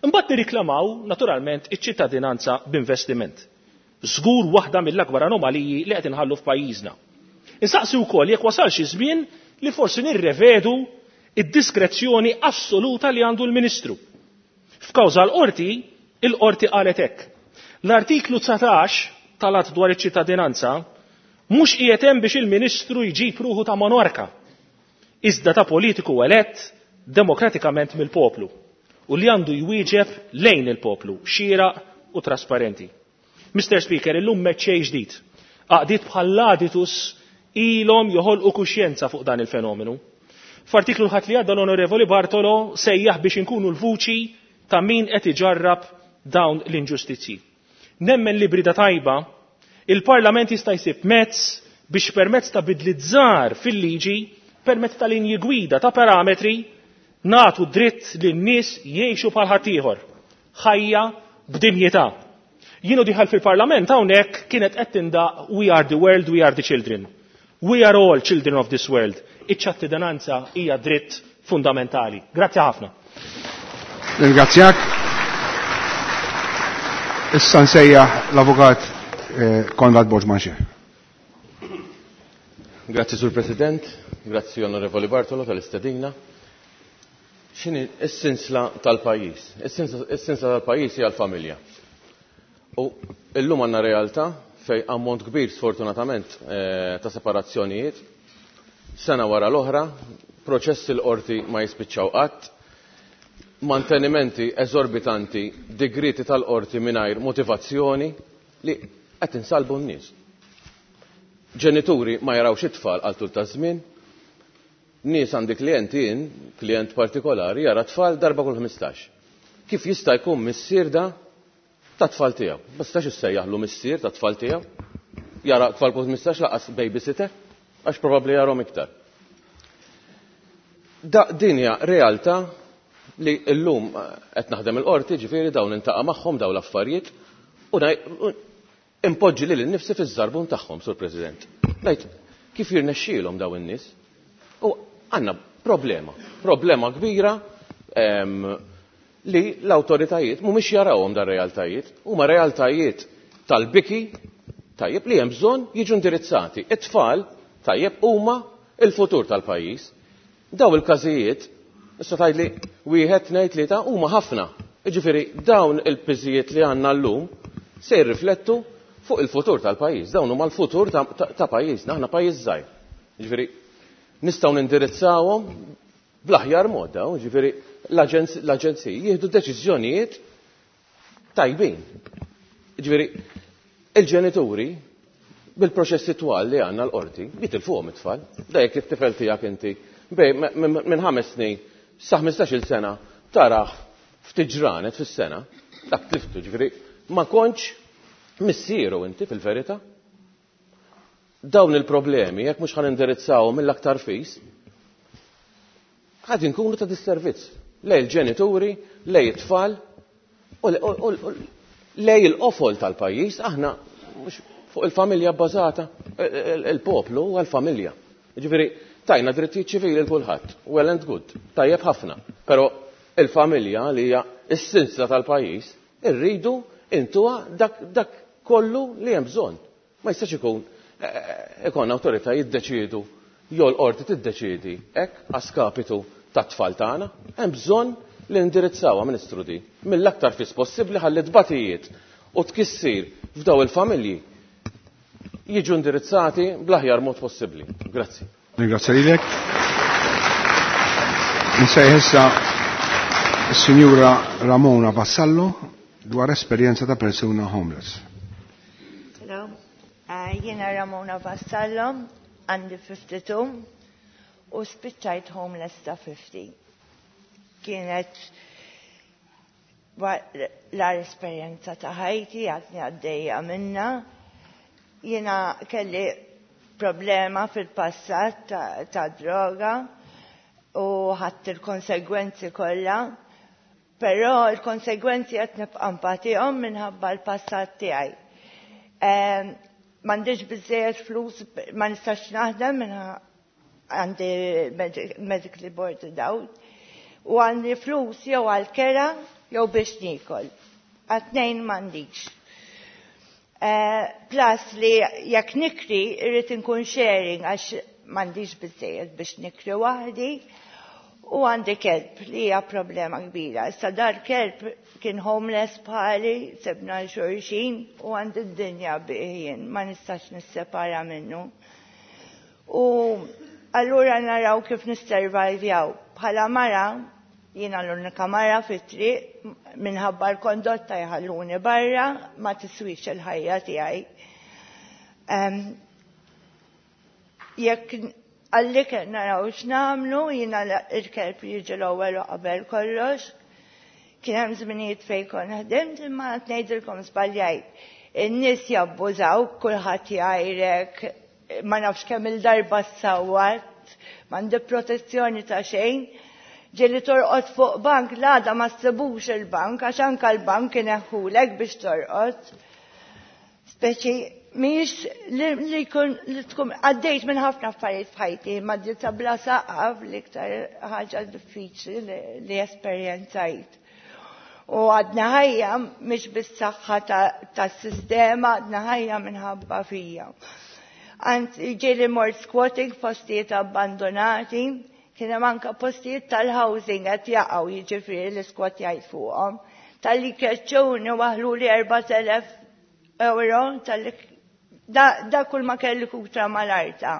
Imbagħad nirriklamaw naturalment iċ-ċittadinanza b'investiment. Żgur waħda mill-akbar anomaliji li qed inħallu f'pajjiżna. Insaqsi wkoll jekk wasalx iż-żmien li forsi nirrevedu id-diskrezzjoni assoluta li għandu l-Ministru. F'kawża l-qorti, il-qorti qalet hekk. L-artiklu 19 tal-att dwar iċ-ċittadinanza mhux qiegħed hemm biex il-Ministru jġib ruħu ta' monarka, iżda ta' politiku elett demokratikament mill-poplu u li għandu jwieġeb lejn il-poplu, xieraq u trasparenti. Mr. Speaker, illum meċċej ġdid. Għaqdiet bħall-Aditus ilhom joħolqu kuxjenza fuq dan il-fenomenu. F'artiklu l-ħadd li għadda l-Onorevoli Bartolo sejjaħ biex inkunu l-vuċi ta' min qed iġarrab dawn l-inġustizzji. Nemmen li brida tajba, il-Parlament jista' jsib mezz biex permezz ta' bidliet żgħar fil-liġi, permezz ta' linji gwida ta' parametri, nagħtu dritt lin nies jgħixu bħal ħaddieħor, ħajja b'dinjità. Jienu diħal fil-Parlament hawnhekk kienet qed tindaq We are the world, we are the children. We are all children of this world. Iċ-ċittadinanza hija dritt fundamentali. Grazzi ħafna. Ringrazzjak. Issa nsejjaħ l-Avukat Konrad Borg Manché. Grazzi Sur President, grazzi Onorevoli Bartolo tal-istedina. X'inhi s-sinsla tal-pajjiż? Is-sinsla tal-pajjiż hija l-familja. U llum għandna realtà fejn ammont kbir sfortunatament ta' separazzjonijiet, sena wara l-oħra, proċessi l-qorti ma jispiċċaw qatt, mantenimenti eżorbitanti, digrieti tal-qorti mingħajr motivazzjoni li qed insalbu n-nies. Ġenituri ma jarawx it-tfal għal tul ta' żmien, nies għandi klijenti jien, klient partikolari, jara tfal darba kull 15. Kif jista' jkun missier da ta' tfal tiegħu? Ma tistax issejjaħlu missier ta' tfal tiegħu. Jara tfal kull 15 laqas babysitter, għax probabbli jarahom iktar. Da din hija realtà li llum qed naħdem il-qorti, ġifieri dawn intaqa' magħhom dawn l-affarijiet u impoġġi lili nnifsi fiż-żarbun tagħhom, Sur President. Ngħid kif jirnexxielhom dawn in-nies? U għandna problema, problema kbira li l-awtoritajiet mhumiex jarawhom dar realtajiet, huma realtajiet tal-biki tajjeb li hemm bżonn jiġu indirizzati. It-tfal tajjeb huma il-futur tal-pajjiż. Daw il-każijiet, issa tgħidli wieħed, tnejn, tlieta, huma ħafna. Jiġifieri dawn il-piżijiet li għandna llum se jirriflettu fuq il-futur tal-pajjiż. Dawn huma l-futur ta' pajjiżna, aħna pajjiż żgħir. Jiġifieri nistgħu nindirizzawhom bl-aħjar mod dawn, jiġifieri l-aġenziji jieħdu deċiżjonijiet tajbin. Jiġifieri il-ġenituri bil-proċessi twal li għandna l-qorti jitilfuhom it-tfal. Da jekk it-tifel tiegħek inti minn 5 snin sa 15-il sena taraħ ftit ġranet fis-sena, dak tliftu, ġifieri ma kontx missieru inti fil-verità. Dawn il-problemi, jekk mhux ħan indirizzawhom mill-aktar fis, ħad inkunu ta' disservizz lej il-ġenituri, lej it-tfal, u lej il-qofol tal-pajjiż, aħna mhux fuq il-familja bbażata, il-poplu huwa l-familja. Ġifieri, tajna drittijiet ċivili l kulħadd, well and good, tajjeb ħafna, però il-familja li hija s-sinsla tal-pajjiż, irridu intuha dak kollu li hemm bżonn. Ma jistax ikun ikun awtorità jiddeċiedu jew l-qorti tiddeċiedi hekk għaskapitu tat-tfal tagħna. Hemm bżonn li ndirizzawha, Ministru, di mill-aktar fis possibbli ħalli tbatijiet u tkissir f'daw il-familji jiġu indirizzati bl-aħjar mod possibbli. Grazzi. Ringrazzja lilek. Insejħ issa s-Sinjura Ramona Vassallo dwar esperjenza ta' persuna homeless. Hello, jiena Ramona Vassallo, għandi 52 u spiċċajt homeless ta' 50. Kienet l-agħar esperjenza ta' ħajti, għadni għaddejja minna. Jiena kelli problema fil-passat ta' droga u ħadt il-konsegwenzi kollha, però il-konsegwenzi qed nibqa' npatihom minħabba l-passat tiegħi. M'għandix biżejjed flus, ma nistax naħdem minħabba għandi medically boarded out, u għandi flus jew għal-kera jew biex nikol. Għat-tnejn m'għandix. Plus li jekk nikri irrid inkun sharing għax m'għandix biżejjed biex nikri waħdi, u għandi kelb li hija problema kbira. Issa dar kelb kien homeless bħali, sebna xulxin u għandi d-dinja bih, ma nistax nissepara minnu. U allura naraw kif nisservajvjaw. Bħala mara, jiena l-unika mara fit-triq, minħabba l-kondotta jħalluni barra, ma tiswix il-ħajja tiegħi. Jekk għallik naraw x'nagħmlu, jiena il-kelb jiġi l-ewwel u qabel kollox. Kien hemm żminijiet fejn kont ħdimt, imma qed ngħidilkom żbaljajt. In-nies jabbużaw, kulħadd jgħajrek, ma nafx kemm il-darba ssawwat, m'għandi protezzjoni ta' xejn. Ġieli torqod fuq bank, l-għada ma ssibux il-bank, għax anka l-bank ineħħulek biex torqod. Speċi, mhijiex li jkun li tkun għaddejt minn ħafna affarijiet f'ħajti, ma ta' bla saqaf l-iktar ħaġa diffiċli li esperjenzajt. U għadna ħajja mhix bis-saħħa tas-sistema, għadna ħajja minħabba fija. Anzi, ġieli mort squatting f'postijiet abbandonati, Kien hemm anke postijiet tal-housing qed jaqgħu jiġifieri l-iskwat jgħid fuqhom. Talli keċċuni waħluli 4000 euro talli da kull ma kelli kutra mal-arta.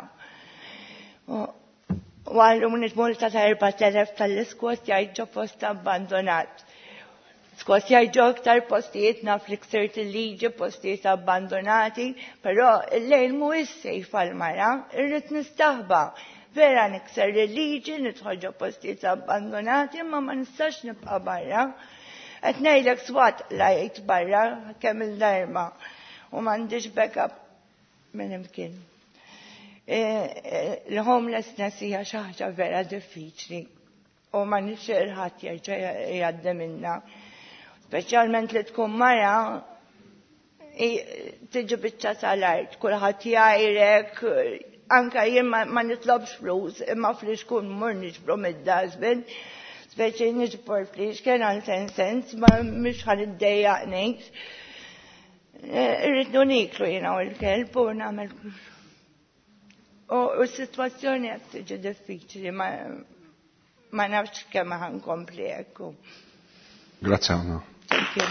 Waħlu multa ta' 4000 tal-iskwat jgħid ġo post abbandonat. Skont jgħid aktar postijiet naf li ksirt il-liġi, postijiet abbandonati, però il-lejl mhuwiex sejf għall-mara, irrid nistaħba. Vera nikser il-liġi, nidħol ġo postijiet abbandonati, imma ma nistax nibqa' barra. Qed ngħidlek swat lajt barra kemm il-darba u m'għandix backup minn imkien. Il-homelessness hija xi ħaġa vera diffiċli u ma nixtieq il-ħadd jerġa' jgħaddi minna. Speċjalment li tkun mara tiġi biċċa tal-art, kulħadd jgħajrek, anka jien ma nitlobx flus, imma flixkun mur niġbru mid-dustbin, speċi niġbor flixken għal 10 cents, ma mhux ħa niddejjaq ngħid. Irrid niklu jiena u l-kelb u nagħmel. U s-sitwazzjoni qed tiġi diffiċli, ma nafx kemm ħa nkompli hekk. Grazzi ħafna. Thank you.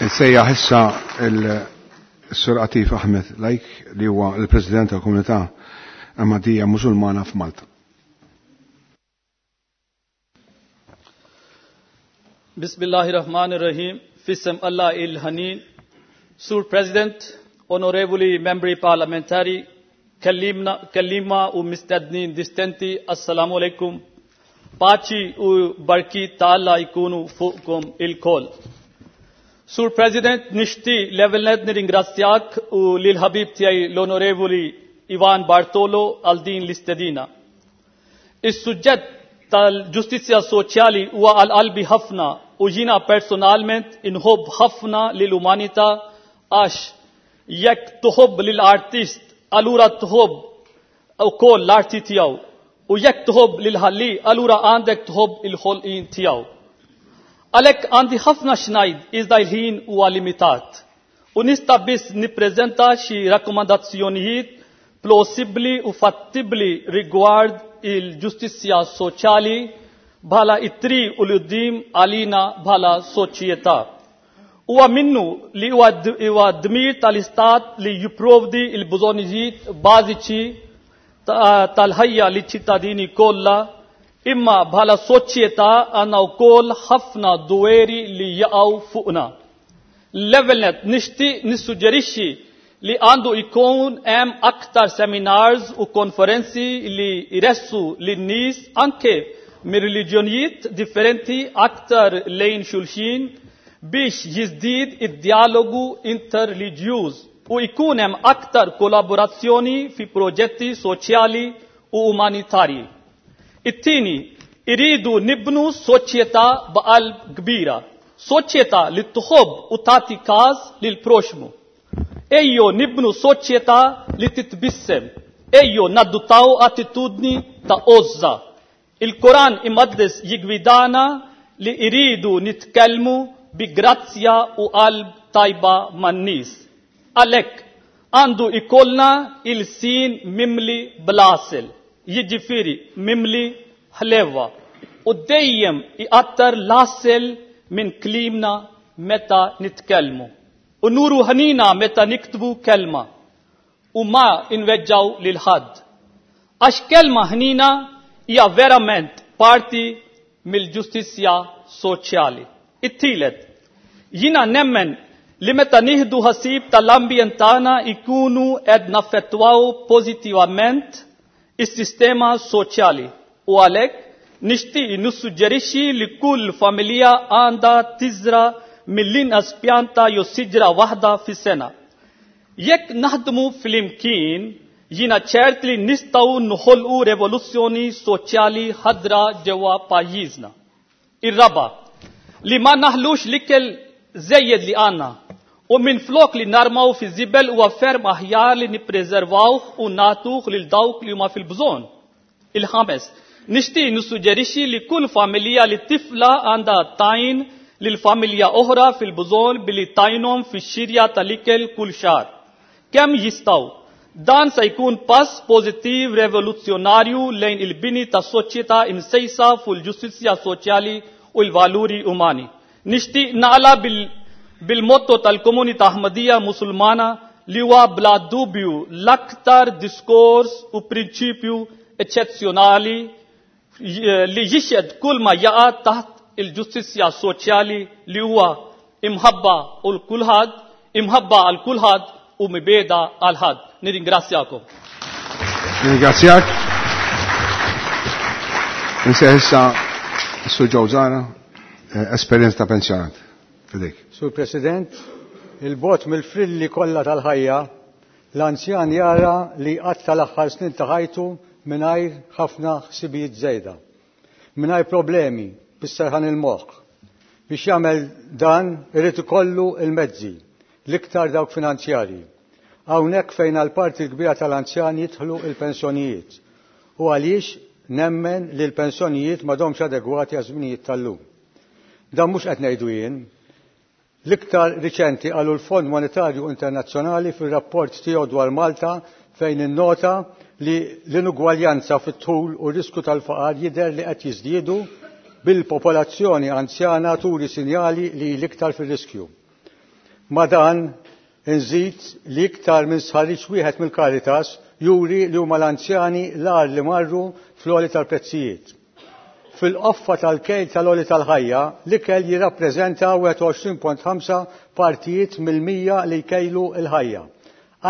Insejjaħ issa il-Sur Atif Ahmed Lajk li huwa l-President tal-Komunità Ahmadiyya Musulmana f'Malta. Bismillahirrahmanirrahim. Fissem Allah il-Hanin. Sur President, Onorevoli Membri Parlamentari, kellima u mistednin distenti, Assalamu alaikum. Paċi u barki ta' Alla jkunu fuqkom il-koll. Sur President, nixti l-ewwel nirringrazzjak u lil ħabib tiegħi l-Onorevoli Ivan Bartolo għal din l-istedina. Is-suġġett tal-ġustizzja soċjali huwa għal qalbi ħafna u jiena personalment inħobb ħafna lill-umanità għax jekk tħobb lill-artist allura tħobb ukoll l-arti tiegħu u jekk tħobb lil-ħalli allura għandek tħobb il-ħolqien tiegħu. Għalhekk għandi ħafna x'ngħid iżda l-ħin huwa limitat u nista' biss nippreżenta xi rakkomandazzjonijiet plausibbli u fattibbli rigward il-ġustizzja soċjali bħala it-triq u l-qudiem għalina bħala soċjetà. Huwa minnu li huwa dmir tal-Istat li jipprovdi l-bżonnijiet bażiċi tal-ħajja liċ-ċittadini kollha, imma bħala soċjetà għandna wkoll ħafna dweri li jaqgħu fuqna. L-ewwel nett nixtieq nissuġġerixxi li għandu jkun hemm aktar seminars u konferenzi li jressu lin-nies anke minn reliġjonijiet differenti aktar lejn xulxin biex jiżdied id-dialogu interreliġjuż u jkun hemm aktar kollaborazzjoni fi proġetti soċjali u umanitarji. It-tieni, iridu nibnu soċjetà b'qalb kbira, soċjetà li tħobb u tagħti każ lil proxmu. Ejjo nibnu soċjetà li titbissem, ejjo naddutaw attitudni ta' għożża. Il-Koran imqaddes jigwidana li iridu nitkellmu bi grazzja u qalb tajba man-nies. Għalhekk għandu ikollna il-sin mimli bl-għasel, jiġifieri mimli ħlewa, u dejjem iqattar l-għasel minn klimna meta nitkellmu. U nuru ħanina meta niktbu kelma u ma inweġġaw lil ħadd. Għax kelma ħnina hija verament parti mill-ġustizzja soċjali. It-tielet, jiena nemmen li meta nieħdu ħasib tal-ambjent tagħna ikunu qed naffettwaw pożittivament is-sistema soċjali u għalhekk nixtieq nissuġġerixxi li kull familja għandha tiżra mill-inqas pjanta jew siġra waħda fis-sena. Jekk naħdmu flimkien, jiena ċert li nistgħu noħolqu revoluzzjoni soċjali ħadra ġewwa pajjiżna. Ir-raba, li ma naħlux l-ikel żejjed li għandna u minflok li narmaw fi żibel huwa ferm aħjar li nippreservawh u nagħtuh lil dawk li huma fil-bżonn. Il-ħames, nixtieq nissuġġerixxi li kull familja li tifla għandha tajn lil familja oħra fil-bżonn billi tajnhom fix-xirja tal-ikel kull xahar. kemm jistgħu. Dan se jkun pass pożittiv revoluzzjonarju lejn il-bini ta' soċjetà imsejsa fuq il-ġustizzja soċjali u l-valuri umani. Nixtieq nagħlaq bil-motto tal-komunità Ahmadija Musulmana li huwa bla dubju l-aktar diskors u prinċipju eċċezzjonali li jixhed kull ma jaqa' taħt il-ġustizzja soċjali li huwa imħabba u l-kulħadd, imħabba għal kulħadd u mibeda għal ħadd. Nirringrazzjakom. Nirringrazzjak. Nsejħ issa Sur Joe Zahra, esperjenza ta' pensjonat. Fidejk. Sur President, il-bot mill-frilli kollha tal-ħajja, l-anzjan jara li qatta l-aħħar snin ta' ħajtu mingħajr ħafna ħsibijiet żejda, mingħajr problemi bis-serħan il-moħħ. Biex jagħmel dan irid ikollu il-mezzi, l-iktar dawk finanzjarji. Hawnhekk fejn għal parti kbira tal-anzjani jidħlu il-pensjonijiet. U għaliex nemmen li l-pensjonijiet m'għadhomx adegwati għaż-żminijiet tal-lum. Dan mhux qed ngħidu jien. L-iktar riċenti qalu l-Fond Monetarju Internazzjonali fir-rapport tiegħu dwar Malta fejn innota li l-inugwaljanza fit-tul u r-risku tal-faqar jidher li qed jiżdiedu bil-popolazzjoni anzjana turi sinjali li l-iktar fir-riskju. Ma dan inżid li iktar minn sħarriġ wieħed mill-Caritas juri li huma l-anzjani l-agħar li marru fl-għoli tal-prezzijiet. Fil-qoffa tal-kejl tal-għoli tal-ħajja, l-ikel jirrappreżenta 21.5 partijiet mill-mija li jkejlu l-ħajja.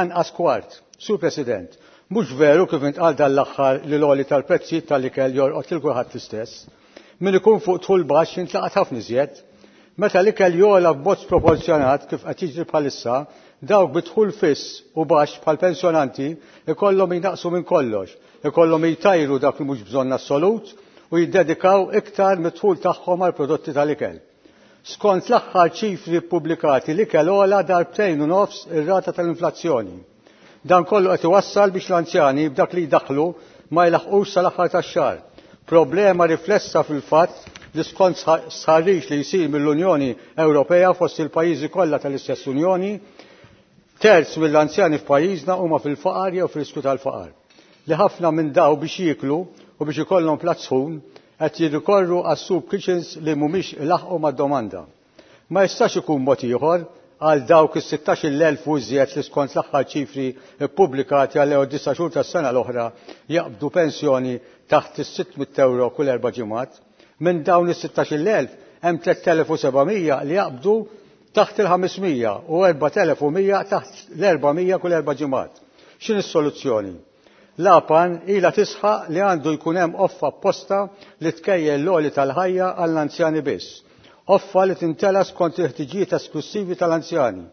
Anqas kwart. Sur President, mhux veru kif intqal dan l-aħħar li l-għoli tal-prezzijiet tal-ikel jorqod lil kulħadd l-istess. Min ikun fuq dħul baxx jintlaqat ħafna iżjed. Meta l-ikel jogħla b'mod sproporzjonat kif qed jiġri bħalissa, dawk bi dħul fiss u baxx bħal pensjonanti ikollhom jinaqsu minn kollox, ikollhom jtajru dak li mhux bżonn assolut u jiddedikaw iktar mid-dħul tagħhom għal prodotti tal-ikel. Skont l-aħħar ċifri ppubblikati l-ikel ogħla darbtejn u nofs ir-rata tal-inflazzjoni. Dan kollu qed iwassal biex l-anzjani b'dak li jdaħħlu ma jlaħqux sal-aħħar tax-xahar. Problema riflessa fil-fatt li skont sħarriġ li jsir mill-Unjoni Ewropea fost il-pajjiżi kollha tal-istess Unjoni, terz mill-anzjani f'pajjiżna huma fil-faqar jew fil-riskju tal-faqar. Li ħafna minn daw biex jieklu u biex ikollhom platt sħun qed jirrikorru għas-soup kitchens li mhumiex ilaħqu mad-domanda. Ma jistax ikun mod ieħor għal dawk is-16,000 u iżjed li skont l-aħħar ċifri ppubblikati għal ewwel disa' xhur tas-sena l-oħra jaqbdu pensjoni taħt is-600 euro kull erba' ġimgħat. Minn dawn is-16,000 hemm 3,700 li jaqbdu taħt il-500 u 4,100 taħt l-400 kull erba' ġimgħat. X'inhi s-soluzzjoni? L-APAN ilha tisħaq li għandu jkun hemm offa apposta li tkejjel l-għoli tal-ħajja għall-anzjani biss. Offa li tintela skont il-ħtiġijiet esklusivi tal-anzjani,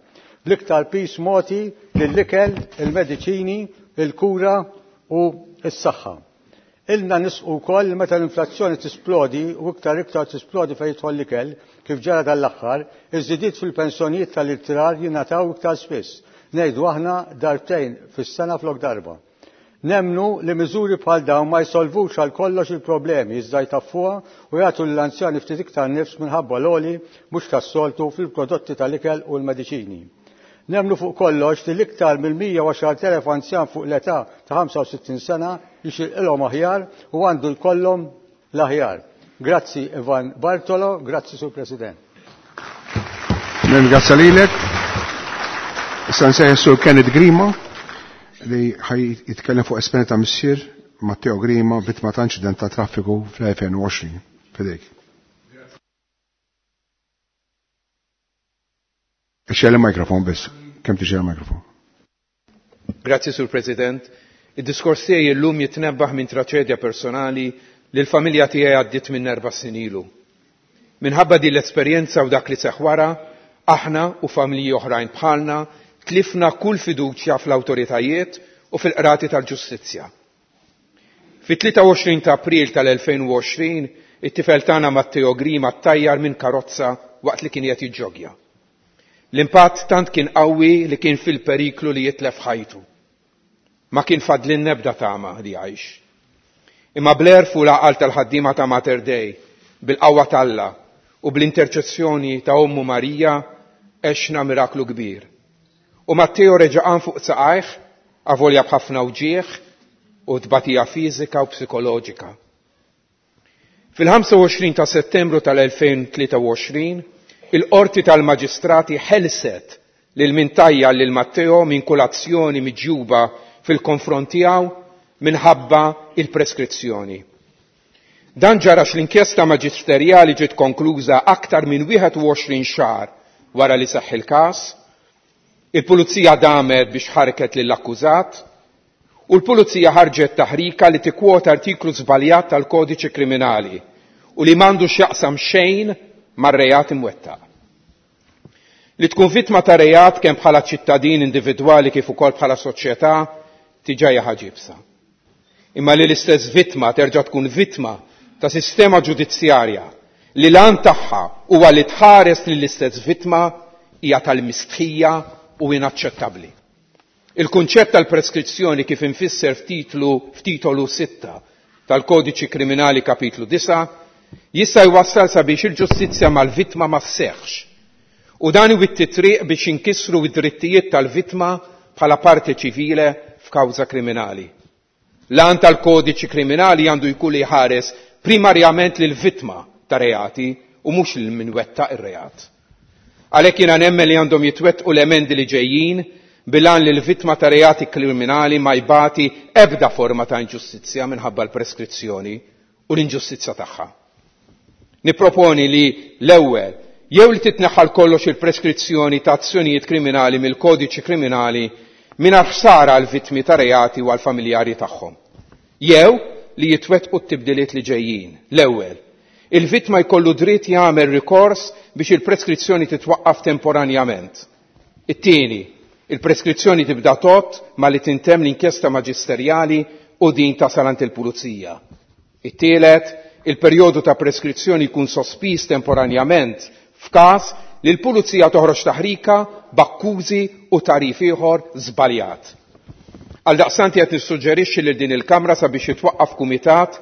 bl-iktar pis moti lill-ikel, il-mediċini, il-kura u s-saħħa. Ilna nisqu wkoll meta l-inflazzjoni tisplodi u iktar iktar tisplodi fejn jidħol l-ikel, kif ġara dal-aħħar, iż-żidiet fil-pensjonijiet tal-irtirar jingħataw iktar spiss. Ngħidu aħna darbtejn fis-sena flok darba. Nemnu li miżuri bħal dawn ma jsolvux għal kollox il-problemi iżda jtaffuha u jagħtu lill-anzjani ftit iktar nifs minħabba l-għoli mhux tas-soltu fil-prodotti tal-ikel u l-mediċini. Nemnu fuq kollox li l-iktar mill-110,000 anzjan fuq l-età ta' 65 sena jixirqilhom aħjar u għandu jkollhom l-aħjar. Grazzi Ivan Bartolo, grazzi Sur President. Nirringrazzja lilek. Issa nsejħ Sur Kenneth Grima li ħaj jitkellem fuq esperjenza ta' missier Matteo Grima, vittma ta' inċident ta' traffiku fl-2020. Fidejk. Ixxel il-mikrofon biss, kemm tixgħel il-mikrofon. Grazzi Sur President. Id-diskors tiegħi llum jitnebbaħ minn traċedja personali li l-familja tiegħi għaddiet minn 4 snin ilu. Minħabba din l-esperjenza u dak li seħħ wara, aħna u familji oħrajn bħalna tlifna kull fiduċja fl-awtoritajiet u fil-qrati tal-ġustizzja. Fit-23 ta' April tal-2020, it-tifel tagħna Matteo Grima ttajjar minn karozza waqt li kien qed jiġġogja. L-impatt tant kien qawwi li kien fil-periklu li jitlef ħajtu. Ma kien fadlin nebda tama li jgħix. Imma bl-għerf u l-għaqal tal-ħaddiema ta' Mater Dei, bil-qawwa t'Alla u bl-interċessjoni ta' Ommu Marija, għexna miraklu kbir. U Matteo reġa' qam fuq saqajh, avolja b'ħafna wġigħ u tbatija fiżika u psikoloġika. Fil-25 ta' Settembru tal-2023, il-Qorti tal-Maġistrati ħelset lil min tajjar lil Matteo minn kull azzjoni miġjuba fil-konfront tiegħu minħabba il-preskrizzjoni. Dan ġara għax l-inkjesta maġisterjali ġiet konkluża aktar minn 21 xahar wara li seħħ il-każ, il-pulizija damet biex ħarket lill-akkużat u l-pulizija ħarġet taħrika li tikkwota artiklu żbaljat tal-kodiċi kriminali u li m'għandu x'jaqsam xejn mar-reat imwettaq. Li tkun vittma ta' reat kemm bħala ċittadin individwali kif ukoll bħala soċjetà diġà hija ħaġa iebsa. Imma li l-istess vittma terġa' tkun vittma ta' sistema ġudizzjarja li l-għan tagħha huwa li tħares lill-istess vittma hija tal-mistħija u inaċċettabbli. Il-kunċett tal-preskrizzjoni kif infisser f'titlu f'titolu 6 tal-Kodiċi Kriminali kapitlu 9 jista' jwassal sabiex il-ġustizzja mal-vittma ma sseħħx. U dan iwitti triq biex inkisru id-drittijiet tal-vittma bħala parte ċivile f'kawża kriminali. L-għan tal-kodiċi kriminali għandu jkun li jħares primarjament lil vittma ta' reati u mhux lil min wettaq ir-reat. Għalhekk jiena nemmen li għandhom jitwettqu l-emendi li ġejjin bil-għan li l-vittma ta' reati kriminali ma jbati ebda forma ta' inġustizzja minħabba l-preskrizzjoni u l-inġustizzja tagħha. Nipproponi li l-ewwel jew li titneħħal kollox il-preskrizzjoni ta' azzjonijiet kriminali mill-kodiċi kriminali mingħajr ħsara għal vittmi ta' reati u għal familjari tagħhom. Jew li jitwettqu t-tibdiliet li ġejjin. L-ewwel, il-vittma jkollu dritt jagħmel rikors biex il-preskrizzjoni titwaqqaf temporanjament. It-tieni, il-preskrizzjoni tibda tot ma li tintemm l-inkjesta maġisterjali u din tasal għand il-pulizija. It-tielet, il-perjodu ta' preskrizzjoni jkun sospiż temporanjament f'każ li l-pulizija toħroġ taħrika b'akkużi u tagħrif ieħor żbaljat. Għaldaqstant qed nissuġġerixxi lil din il-Kamra sabiex jitwaqqaf kumitat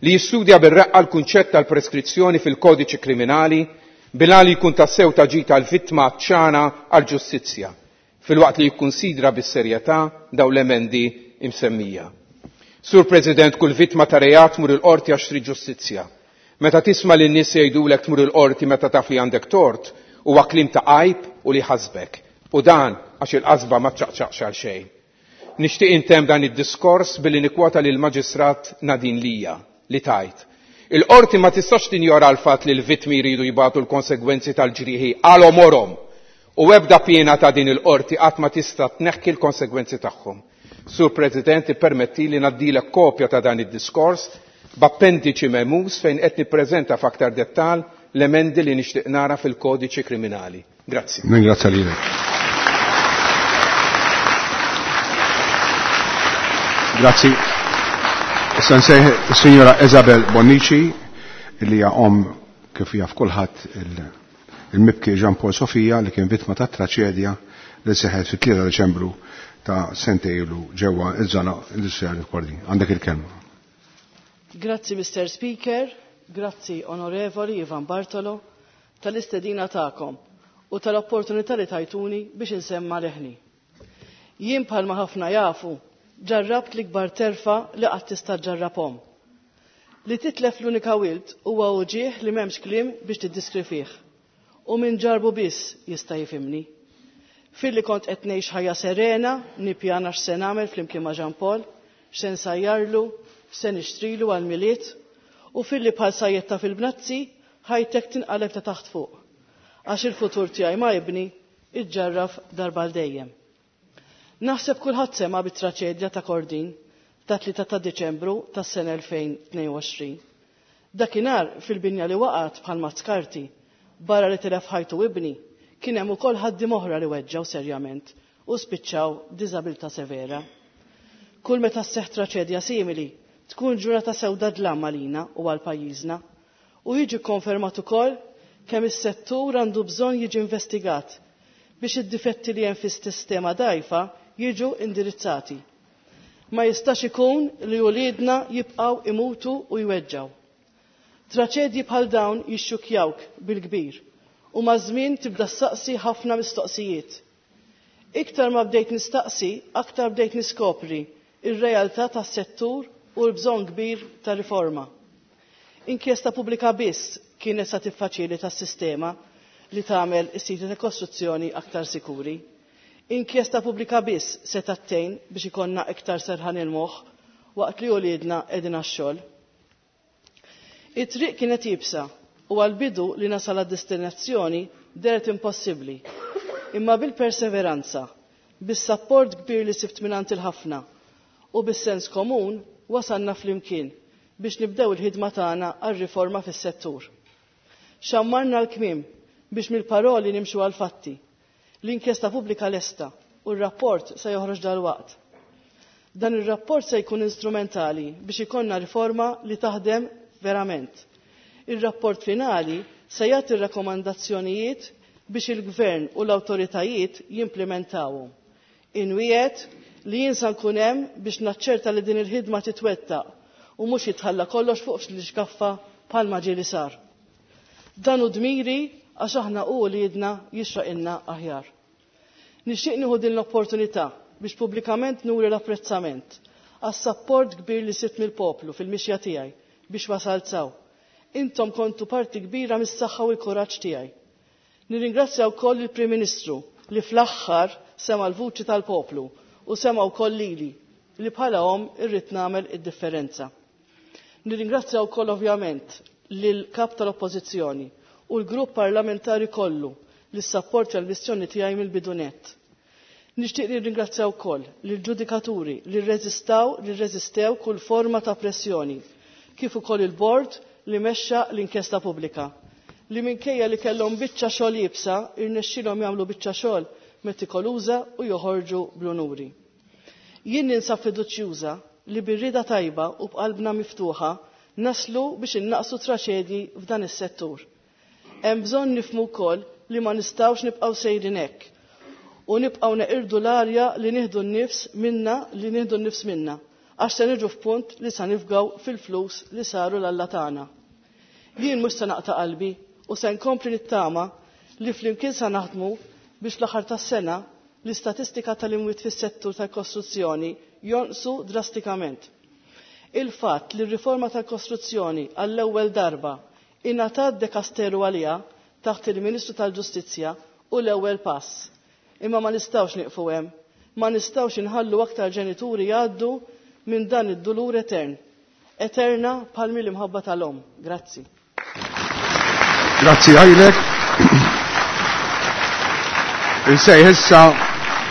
li jistudja bir-reqqa l-kunċett tal-preskrizzjoni fil-kodiċi kriminali bil-għan li jkun tassew ta' ġid għall-vittma għatxana għall-ġustizzja, filwaqt li jikkunsidra bis-serjetà dawn l-emendi imsemmija. Sur President, kull vittma ta' reat tmur il-qorti għax trid ġustizzja. Meta tisma' lin nies jgħidulek tmur il-qorti meta taf li għandek tort, huwa kliem ta' għajb u li ħasbek. U dan għax il-qasba ma ċaqċaqx għal xejn. Nixtieq intemm dan id-diskors billi nikkwota lil Maġistrat Nadine Lia li tgħid: Il-qorti ma tistax tinjora l-fatt li l-vittmi jridu jbatu l-konsegwenzi tal-ġrieħi għal għomorhom u ebda piena ta' din il-qorti qatt ma tista' tneħħi l-konsegwenzi tagħhom. Sur President, ippermetti li ngħaddilek kopja ta' dan id-diskors b'appendiċi memus fejn qed nippreżenta f'aktar dettal l-emendi li nixtieq nara fil-kodiċi kriminali. Grazzi. Ningrazzja lilek. Grazzi. Issa nsejħ is-Sinjora Isabel Bonnici li hija omm kif jaf kulħadd il-mibki Jean Paul Sofia li kien vittma ta' traċedja li seħħet fit-3 Deċembru ta' sentejlu ġewwa iż-żona industrijali f'Kordin. Għandek il-kelma. Grazzi Mr. Speaker, grazzi Onorevoli Ivan Bartolo tal-istedina tagħkom u tal-opportunità li tajtuni biex insemma leħni. Jien bħalma ħafna jafu ġarrabt l-ikbar terfa li qatt tista' ġarrabhom. Li titlef l-unika wild huwa uġieħ li m'hemmx kliem biex tiddiskrifih. U min ġarbu biss jista' jifhimni. Filli kont qed ngħix ħajja serena, nippjana x'se nagħmel flimkien ma' Jean Paul, x'se nsajjarlu, x'se nixtrilu għall-Milied, u filli bħal sajjetta fil-bnazzi ħajtek tinqaleb ta' taħt fuq. Għax il-futur tiegħi ma' ibni iġġarraf darba l dejjem. Naħseb kulħadd sema' bit-traċedja ta' Kordin ta' 3 ta' Diċembru tas-sena 2022. Dakinhar fil-binja li waqgħet bħal mazzkarti, barra li tilef ħajtu ibni, kien hemm ukoll ħaddiem oħra li weġġgħu serjament u spiċċaw b'diżabilità severa. Kull meta sseħħ traċedja simili, tkun ġurnata sewda dlam għalina u għal pajjiżna u jiġi konfermat ukoll kemm is-settur għandu bżonn jiġi investigat biex id-difetti li hemm fis-sistema dgħajfa jiġu indirizzati. Ma jistax ikun li uliedna jibqgħu imutu u jweġġgħu. Traċedji bħal dawn jixxukjawk bil-kbir u maż-żmien tibda ssaqsi ħafna mistoqsijiet. Iktar ma bdejt nistaqsi, aktar bdejt niskopri ir-realtà tas-settur u l-bżonn kbir ta' riforma. Inkjesta pubblika biss kienet sa tiffaċilita s-sistema li tagħmel is-siti ta' kostruzzjoni aktar sikuri. Inkjesta pubblika biss se tgħin biex ikollna iktar serħan il-moħħ waqt li uliedna qegħdin għax-xogħol. It-triq kienet iebsa u għal-bidu li nasal għad-destinazzjoni dehret impossibbli. Imma bil-perseveranza, bis-sapport kbir li sibt mingħand il-ħafna u bis-sens komun wasalna flimkien biex nibdew il-ħidma tagħna għar-riforma fis-settur. Xammarna l-kmiem biex mill-paroli nimxu għal-fatti. L-inkjesta pubblika lesta u r-rapport se joħroġ dal-waqt. Dan ir-rapport se jkun instrumentali biex ikollna riforma li taħdem verament. Ir-rapport finali se jagħti rakkomandazzjonijiet biex il-gvern u l-awtoritajiet jimplementawhom. Inwiegħed li jien sa nkun hemm biex naċċerta li din il-ħidma titwettaq u mhux jitħalla kollox fuq l-iskaffa bħalma ġieli sar. Dan hu dmiri għax aħna u uliedna jixraqilna aħjar. Nixtieq nieħu din l-opportunità biex pubblikament nuri l-apprezzament għas-sapport kbir li sibt mill-poplu fil-mixja tiegħi biex wasalt s'hawn. Intom kontu parti kbira mis-saħħa u l-kuraġġ tiegħi. Nirringrazzja wkoll il-Prim Ministru li fl-aħħar sema l-vuċi tal-poplu u sema wkoll lili li bħala omm irrid nagħmel id-differenza. Nirringrazzja wkoll ovvjament lil kap tal-Oppożizzjoni u l-grupp parlamentari kollu li ssapportja l-missjoni tiegħi mill-bidu nett. Nixtieq nirringrazzja wkoll lill-ġudikaturi li rreżistaw li rreżistew kull forma ta' pressjoni, kif ukoll il-bord li mexxa l-inkjesta pubblika li minkejja li kellhom biċċa xogħol iebsa irnexxielhom jagħmlu biċċa xogħol metikoluża u joħorġu bl-unuri. Jien ninsab fiduċjuża li bir-rieda tajba u b'qalbna miftuħa naslu biex innaqsu traċedji f'dan is-settur. Hemm bżonn nifhmu wkoll li ma nistgħux nibqgħu sejrin hekk u nibqgħu neqirdu l-arja li nieħdu n-nifs minna li nieħdu n-nifs minna għax se niġu f'punt li sa nifgaw fil-flus li saru l-alla tagħna. Jien mhux se naqta' qalbi u se nkompli nittama li flimkien sa naħdmu biex fl-aħħar tas-sena l-istatistika tal-imwiet fis-settur tal-kostruzzjoni jonqsu drastikament. Il-fatt li r-riforma tal-kostruzzjoni għall-ewwel darba ingħatat dekasteru għaliha taħt il-Ministru tal-Ġustizzja hu l-ewwel pass. Imma ma nistgħux nieqfu hemm. Ma nistgħux inħallu aktar ġenituri jgħaddu minn dan id-dulur etern. Eterna bħal l-imħabba tal-omm. Grazzi. Grazzi għajlek. Insejħ issa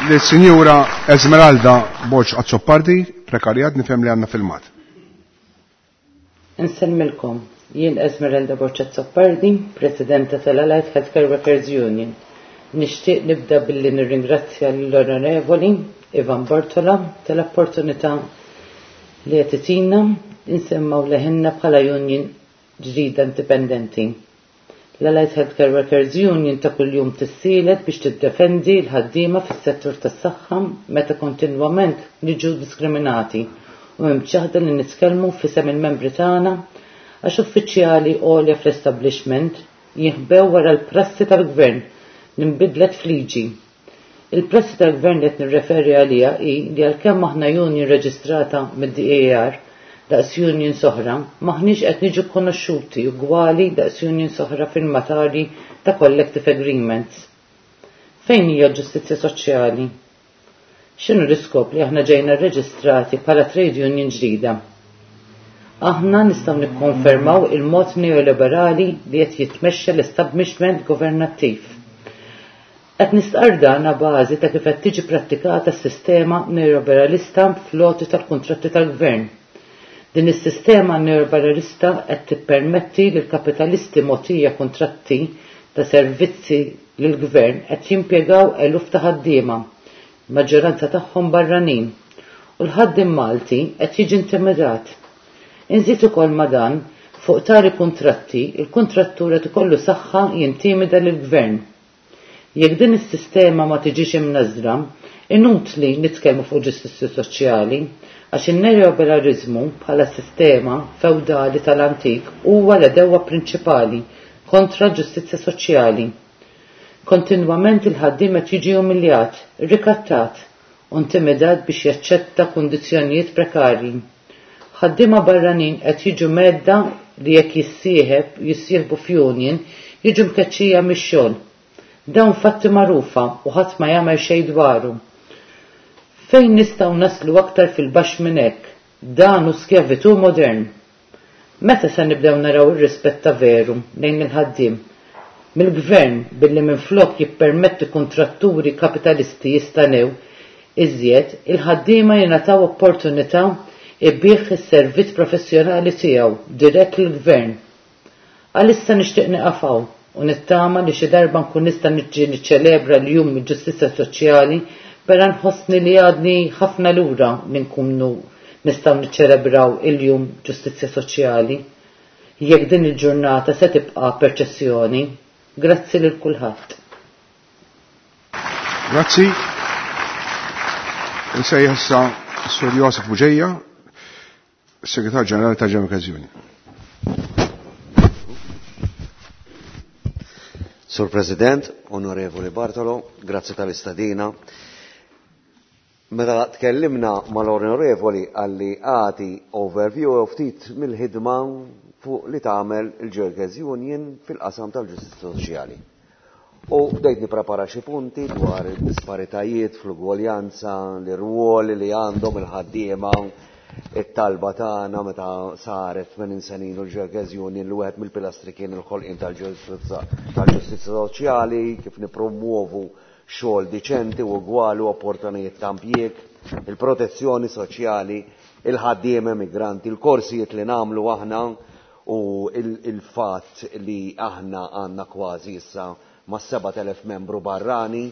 lis-Sinjura Esmeralda Borg Azzopardi, prekarjat, nifhem li għandna filmat. Insellmilkom, jien Esmeralda Borg Azzopardi, Presidenta tal-Allied Healthcare Workers Union. Nixtieq nibda billi nirringrazzja l-Onorevoli Ivan Bartolo tal-opportunità li qed itina insemmgħu leħinna bħala union ġdida indipendenti. L-Allied Healthcare Workers Union ta' kuljum tissielet biex tiddefendi l-ħaddiema fis-settur tas-saħħa meta kontinwament niġu diskriminati u imċaħda li nitkellmu f'isem il-membri tagħna għax uffiċjali għolja fl-establishment jinħbew wara l-prassi tal-gvern li nbidlet f'liġi. Il-prassi tal-gvern li qed nirreferi għaliha hi li għalkemm aħna union reġistrata mid-DAR daqs unions oħra, maħniex qed niġu konoxxuti ugwali daqs unions oħra firmatari ta' collective agreements. Fejn hija l-ġustizzja soċjali? X'inhu l-iskop li aħna ġejna rreġistrati bħala trade union ġdida? Aħna nistgħu nikkonfermaw il-mod neoliberali li qed jitmexxa l-establishment governattiv. Qed nistqarr dan a bażi ta' kif qed tiġi prattikata s-sistema neoliberalista fl-għoti tal-kuntratti tal-gvern. Din is-sistema neoliberalista qed tippermetti lil kapitalisti mogħtija kuntratti ta' servizzi lill-gvern qed jimpjegaw eluf ta' ħaddiema, maġġoranza tagħhom barranin, u l-ħaddiem Malti qed jiġi intimidat. Inżid ukoll ma' dan, fuq tali kuntratti, il-kuntrattur qed ikollu saħħa jintimida lill-gvern. Jekk din is-sistema ma tiġix imnażra, inutli nitkellmu fuq ġustizzja soċjali, għax in-neoliberalizmu bħala sistema fewdali tal-antik huwa l-edewwa prinċipali kontra l-ġustizzja soċjali. Kontinwament il-ħaddiem qed jiġi umiljat, rikattat u intimidat biex jaċċetta kundizzjonijiet prekarji. Ħaddiema barranin qed jiġu medda li jekk jissieħeb jissieħbu f'union jiġu mkeċċija mix-xogħol. Dawn fatti magħrufa u ħadd ma jagħmel xejn dwaru. Fejn nistgħu naslu aktar fil-baxx minn hekk? Dan hu skjavitu modern. Meta se nibdew naraw ir-rispett ta' veru lejn il-ħaddiem? Mill-gvern billi minflok jippermetti kuntratturi kapitalisti jistanew iżjed, il-ħaddiema jingħataw opportunità ibigħ is-servizz professjonali tiegħu dirett lill-gvern. Għalissa nixtieq nieqaf hawn u nittama li xi darba nkun nista' niġi niċċelebra l-jum il-ġustizzja soċjali però nħossni li għadni ħafna lura li nkunu nistgħu niċċelebraw il-jum ġustizzja soċjali jekk din il-ġurnata se tibqa' perċessjoni. Grazzi lil kulħadd. Grazzi. Insejjaħ issa Sur Josef Buġeja, Segretar Ġenerali ta' Ġemikazzjoni. Sur President, Onorevoli Bartolo, grazzi tal-istadina. Meta tkellimna mal-Onorevoli għalli għati overview u ftit mill-ħidma fuq li tagħmel il-Ġergez Union fil-qasam tal-ġustizzja soċjali. U bdejt nipprepara xi punti dwar id-disparitajiet fl-ugwaljanza, l-irwoli li għandhom il-ħaddiema, it-talba tagħna meta saret 80 sena ilu l-Ġergez Union li wieħed mill-pilastri kien il-ħolqien tal-ġustizzja soċjali, kif nippromuovu xogħol diċenti u ugwali u opportunitajiet ta' impjieg, il-protezzjoni soċjali, il-ħaddiema migranti, il-korsijiet li nagħmlu aħna u il-fatt li aħna għandna kważi issa ma' 7,000 membru barrani,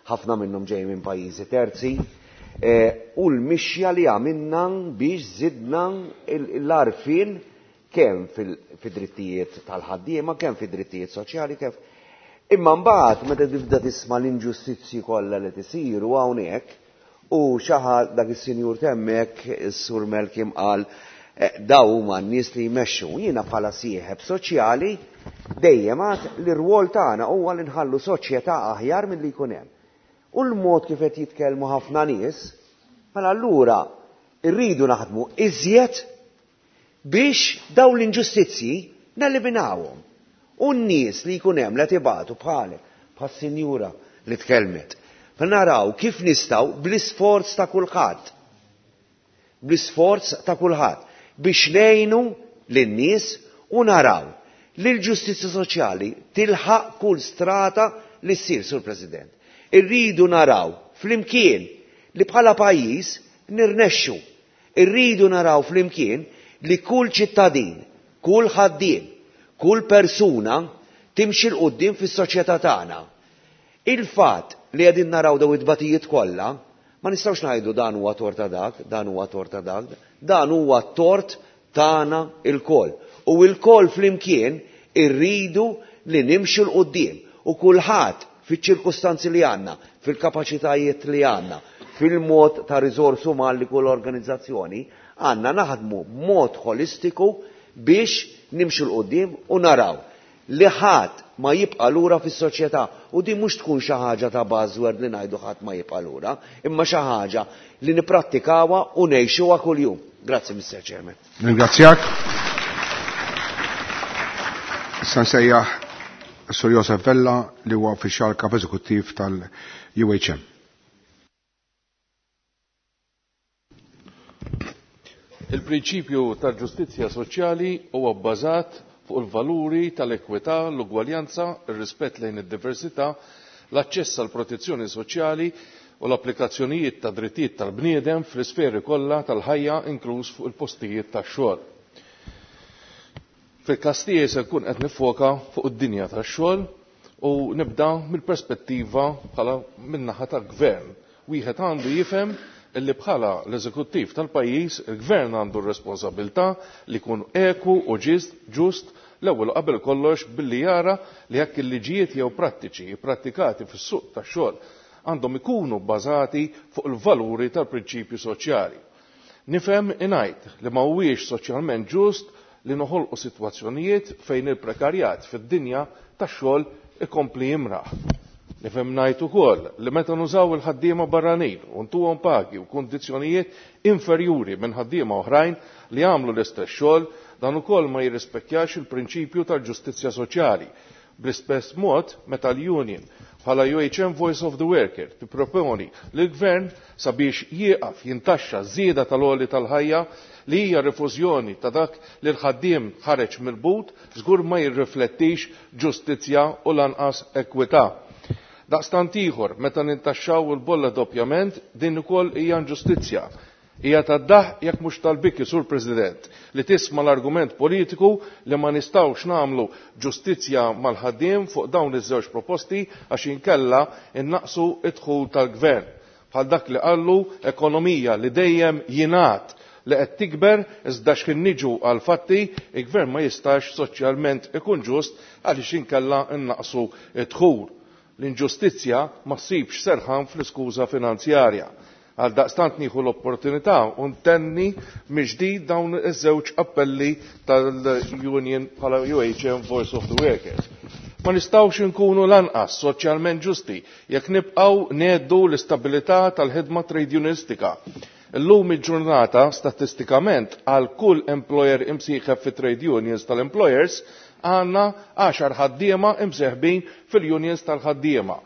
ħafna minnhom ġej minn pajjiżi terzi, u l-mixja li għamilna biex zidna l-għarfien kemm fid-drittijiet tal-ħaddiema, kemm fid-drittijiet soċjali, kemm. Imma mbagħad meta tibda tisma' l-inġustizzji kollha li tisiru hawnhekk u xi ħadd dak is-sinjur temmek, is-Sur Melkim qal daw huma n-nies li jmexxu. Jiena bħala sieħeb soċjali dejjem għad li r-rwol tagħna huwa li nħallu soċjetà aħjar milli jkun hemm. U l-mod kif qed jitkellmu ħafna nies, mela allura rridu naħdmu iżjed biex dawn l-inġustizzji neliminawhom. U n-nies li jkun hemm li qed ibatu bħalek, bħas-sinjura li tkellmet. Mela naraw kif nistgħu bl-isforz ta' kulħadd. Bl-isforz ta' kulħadd biex ngħinu lin-nies u naraw li l-ġustizzja soċjali tilħaq kull strata li ssir, Sur President. Irridu naraw flimkien li bħala pajjiż nirnexxu. Irridu naraw flimkien li kull ċittadin, kull ħaddiem, kull persuna timxi 'l quddiem fis-soċjetà tagħna. Il-fatt li qegħdin naraw daw it-tbatijiet kollha, ma nistgħux ngħidu dan huwa tort ta' dak, dan huwa tort ta' dak, dan huwa tort tagħna lkoll. U lkoll flimkien irridu li nimxu 'l quddiem u kulħadd fiċ-ċirkustanzi li għandna, fil-kapaċitajiet li għandna, fil-mod ta' riżors uman li kull organizzazzjoni, għandna naħdmu b'mod ħolistiku biex nimxu 'l quddiem u naraw li ħadd ma jibqa' lura fis-soċjetà. U din mhux tkun xi ħaġa ta' buzzword li ngħidu ħadd ma jibqa' lura, imma xi ħaġa li nipprattikawha u ngħixuha kuljum. Grazzi, Mr. Chairman. Ringrazzjak. Issa nsejjaħ Sur Josef Vella li huwa uffiċjal kap eżekuttiv tal-UHM. Il-prinċipju tal-ġustizzja soċjali huwa bbażat fuq il-valuri tal-ekwità, l-ugwaljanza, ir-rispett lejn id-diversità, l-aċċess għal protezzjoni soċjali u l-applikazzjonijiet ta' drittijiet tal-bniedem fl-isferi kollha tal-ħajja inkluż fuq il-postijiet tax-xogħol. Fil-każ tiegħi se nkun qed nifoka fuq id-dinja tax-xogħol u nibda mill-perspettiva bħala min-naħa tal-gvern. Wieħed għandu jifhem illi bħala l-eżekuttiv tal-pajjiż il-gvern għandu r-responsabilità li jkun eku u ġust l-ewwel qabel kollox billi jara li jekk il-liġijiet jew prattiċi prattikati fis-suq tax-xogħol għandhom ikunu bbażati fuq il-valuri tal-prinċipju soċjali. Nifhem ingħid li ma huwiex soċjalment ġust li noħolqu sitwazzjonijiet fejn il-prekarjat fid-dinja tax-xogħol ikompli jimraħ. Nifhem ngħid ukoll li meta nużaw il-ħaddiema barranin u ntuhom pagi u kundizzjonijiet inferjuri minn ħaddiema oħrajn li jagħmlu l-istess xogħol, dan ukoll ma jirrispekkjax il-prinċipju tal-ġustizzja soċjali. Bl-istess mod, meta l-Union bħala UHM Voice of the Worker tipproponi lill-Gvern sabiex jieqaf jintaxxa żieda tal-għoli tal-ħajja li hija rifużjoni ta' dak li l-ħaddiem ħareġ mill-but, żgur ma jirriflettix ġustizzja u lanqas ekwità. Daqstant ieħor, meta nintaxxaw il-bolla doppjament, din ukoll hija inġustizzja. Hija tad-daħq jekk mhux tal-biki, Sur President, li tisma' l-argument politiku li ma nistgħux nagħmlu ġustizzja mal-ħaddiem fuq dawn iż-żewġ proposti għax inkella innaqsu d-dħul tal-Gvern. Bħal dak li qallu ekonomija li dejjem jingħad li qed tikber iżda x'ħin niġu għall-fatti, il-Gvern ma jistax soċjalment ikun ġust għaliex inkella nnaqqsu d-dħul. L-inġustizzja ma ssibx serħan fl-iskuża finanzjarja. Għaldaqstant nieħu l-opportunità u ntenni mill-ġdid dawn iż-żewġ appelli tal-Union bħala UHM Voice of the Workers. Ma nistgħux inkunu lanqas soċjalment ġusti jekk nibqgħu ngħeddu l-istabilità tal-ħidma trade unionistika. Illum il-ġurnata statistikament għal kull employer imsieħeb fi trade unions tal-employers għandna 10 ħaddiema imseħbin fil-unions tal-ħaddiema.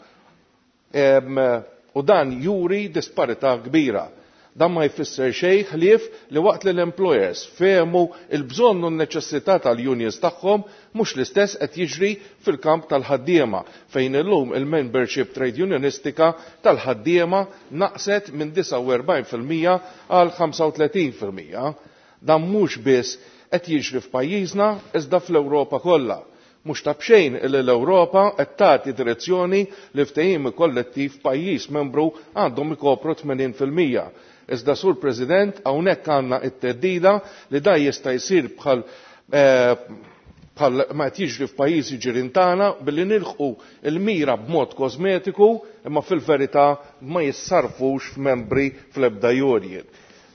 U dan juri disparità kbira. Dan ma jfisser xejn ħlief li waqt li l-employers fehmu l-bżonn u n-neċessità tal-unions tagħhom mhux l-istess qed jiġri fil-kamp tal-ħaddiema fejn illum il-membership trade unionistika tal-ħaddiema naqset minn 49% għal 35%. Dan mhux biss qed jiġri f'pajjiżna iżda fl-Ewropa kollha. Mhux ta' b'xejn li l-Ewropa qed tagħti direzzjoni li ftehim kollettiv pajjiż membru għandhom ikopru 80%. Iżda Sur President hawnhekk għandna t-theddida li dan jista' jsir bħal bħal ma qed jiġri f'pajjiżi ġirien tagħna billi nilħqu l-mira b'mod kosmetiku imma fil-verità ma jissarfux f'membri fl-ebda union.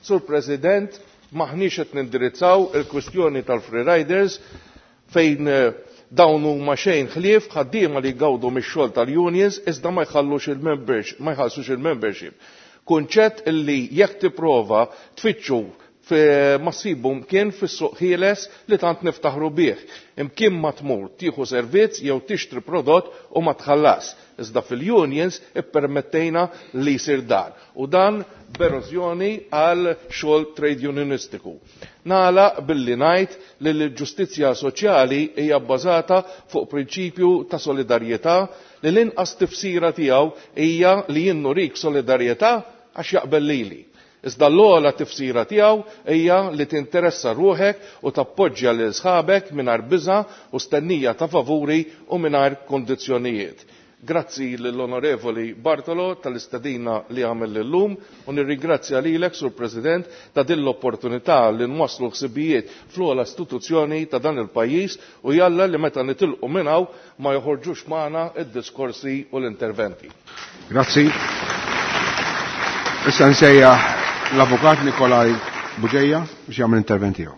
Sur President, m'aħniex qed nindirizzaw il-kwistjoni tal-free riders fejn dawn huma xejn ħlief ħaddiema li jgawdu mix-xogħol tal-unions iżda ma jħallux il-membership, ma jħallsux il-membership. Kunċett illi jekk tipprova tfittxu ma ssibu mkien fis-suq ħieles li tant niftaħru bih. Imkien ma tmur tieħu servizz jew tixtri prodott u ma tħallas. Iżda fil-unions ippermettejna li jsir dan. U dan b'erożjoni għal xogħol trade unionistiku. Nagħlaq billi ngħid li l-ġustizzja soċjali hija bbażata fuq prinċipju ta' solidarjetà li l-inqas tifsira tiegħu hija li jien nurik solidarjetà għax jaqbel lili. Iżda l-ogħla tifsira tiegħu hija li tinteressa ruħek u tappoġġja lil sħabek mingħajr biża' u stennija ta' favuri u mingħajr kondizzjonijiet. Grazzi lill-Onorevoli Bartolo tal-istedina li għamel illum u nirringrazzja lilek, Sur President, ta' din l-opportunità li nwasslu ħsibijiet fl-ogħla istituzzjoni ta' dan il-pajjiż u jalla li meta nitilqu minn hawn ma joħorġux magħna id-diskorsi u l-interventi. Grazzi. Issa nsejjaħ l-Avukat Nikolaj Bugeja biex jagħmel intervent tiegħu.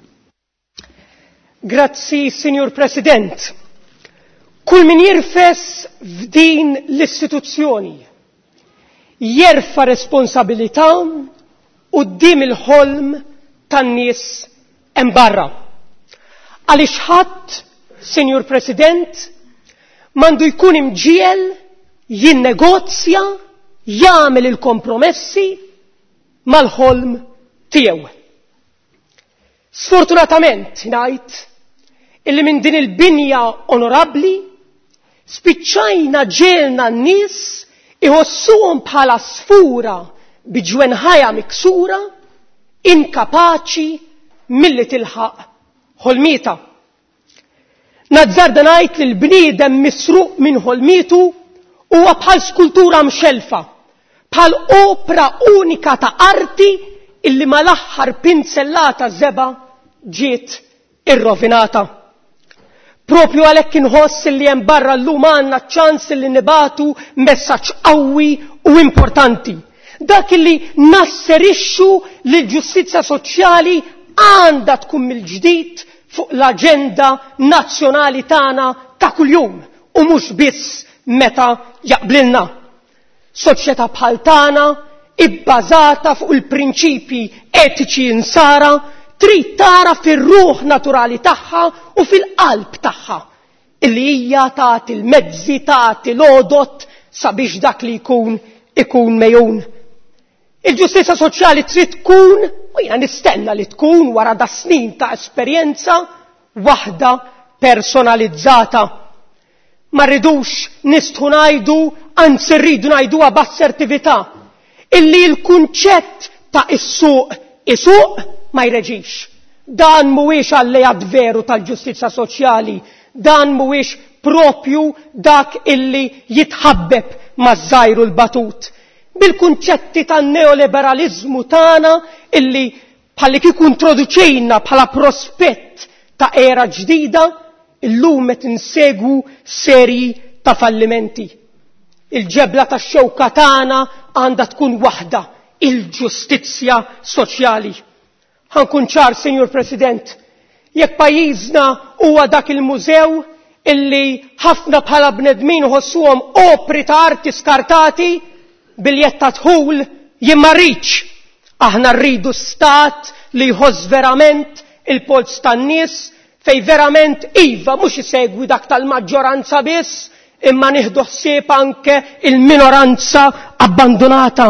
Grazzi, Signor President. Kull min jirfes f'din l-istituzzjoni jerfa' responsabilità quddiem il-ħolm tan-nies hemm barra. Għaliex ħadd, Signor President, m'għandu jkun imġiel jinnegozja, jagħmel il-kompromessi mal-ħolm tiegħu. Sfortunatament ngħid illi minn din il-binja onorabbli spiċċajna ġielna n-nies iħossuhom bħala sfura bi ġwenħajja miksura, inkapaċi milli tilħaq ħolmieta. Nazzarda ngħid li l-bniedem misruq minn ħolmietu huwa bħal skultura mxelfa, bħal opra unika ta' arti illi mal-aħħar pinzellata żeba ġiet irrovinata. Propju għalhekk inħoss li hemm barra llum għandna ċans li nibatu messaġġ qawwi u importanti. Dak li nasserixxu li l-ġustizzja soċjali għandha tkun mill-ġdid fuq l-aġenda nazzjonali tagħna ta' kuljum u mhux biss meta jaqblilna. Soċjetà bħal tagħna ibbażata fuq il-prinċipji etiċi insara trid tara fir-ruħ naturali tagħha u fil-qalb tagħha illi hija tagħti l-mezzi tagħti l-għodot sabiex dak li jkun ikun mejun. Il-ġustizja soċjali trid tkun, u jiena nistenna li tkun wara da snin ta' esperjenza, waħda personalizzata. Ma rridux nistħu ngħidu, anzi rridu ngħiduha b'assertività, illi l-kunċett ta' is-suq isuq ma jreġix. Dan mhuwiex alleat veru tal-ġustizja soċjali, dan mhuwiex propju dak illi jitħabbeb maż-żgħir u l-batut. Bil-kunċetti tan-neoliberalizmu tagħna illi bħalli kieku introduċejna bħala prospett ta' era ġdida, illum qed insegwu serji ta' fallimenti. Il-ġebla tax-xewka tagħna għandha tkun waħda, il-ġustizzja soċjali. Ħa nkun ċar, Sinjur President, jekk pajjiżna huwa dak il-mużew illi ħafna bħala bnedmin iħossuhom opri ta' arti skartati, biljett ta' dħul, jien ma rridx. Aħna rridu stat li jħoss verament il-polz tan-nies, fejn verament iva mhux isegwi dak tal-maġġoranza biss, imma nieħdu ħsieb anke il-minoranza abbandonata.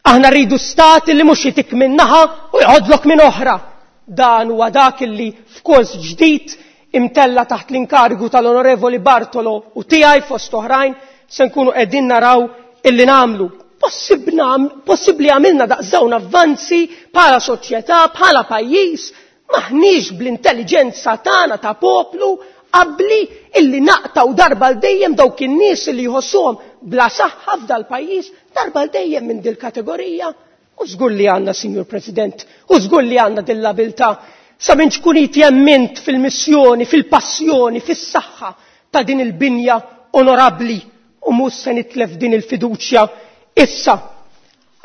Aħna rridu stat li mhux jitik minn naħa u jgħodlok minn oħra. Dan huwa dak li f'kors ġdid imtella taħt l-inkarigu tal-Onorevoli Bartolo u tiegħi fost oħrajn se nkunu qegħdin naraw illi nagħmlu. Possibbli għamilna daqs dawn avvanzi bħala soċjetà, bħala pajjiż, maħniex bl-intelligenza tagħna ta' poplu qabli illi naqtaw darba l dejjem dawk in-nies li jħossuhom bla saħħa f'dal pajjiż darba l dejjem minn dil-kategorija. U żgur li għandna, Sinjur President, u żgur li għandna dil-abilità sa minn ċkunit jemmint fil-missjoni, fil-passjoni, fis-saħħa ta' din il-binja onorabbli u mhux se nitlef din il-fiduċja. Issa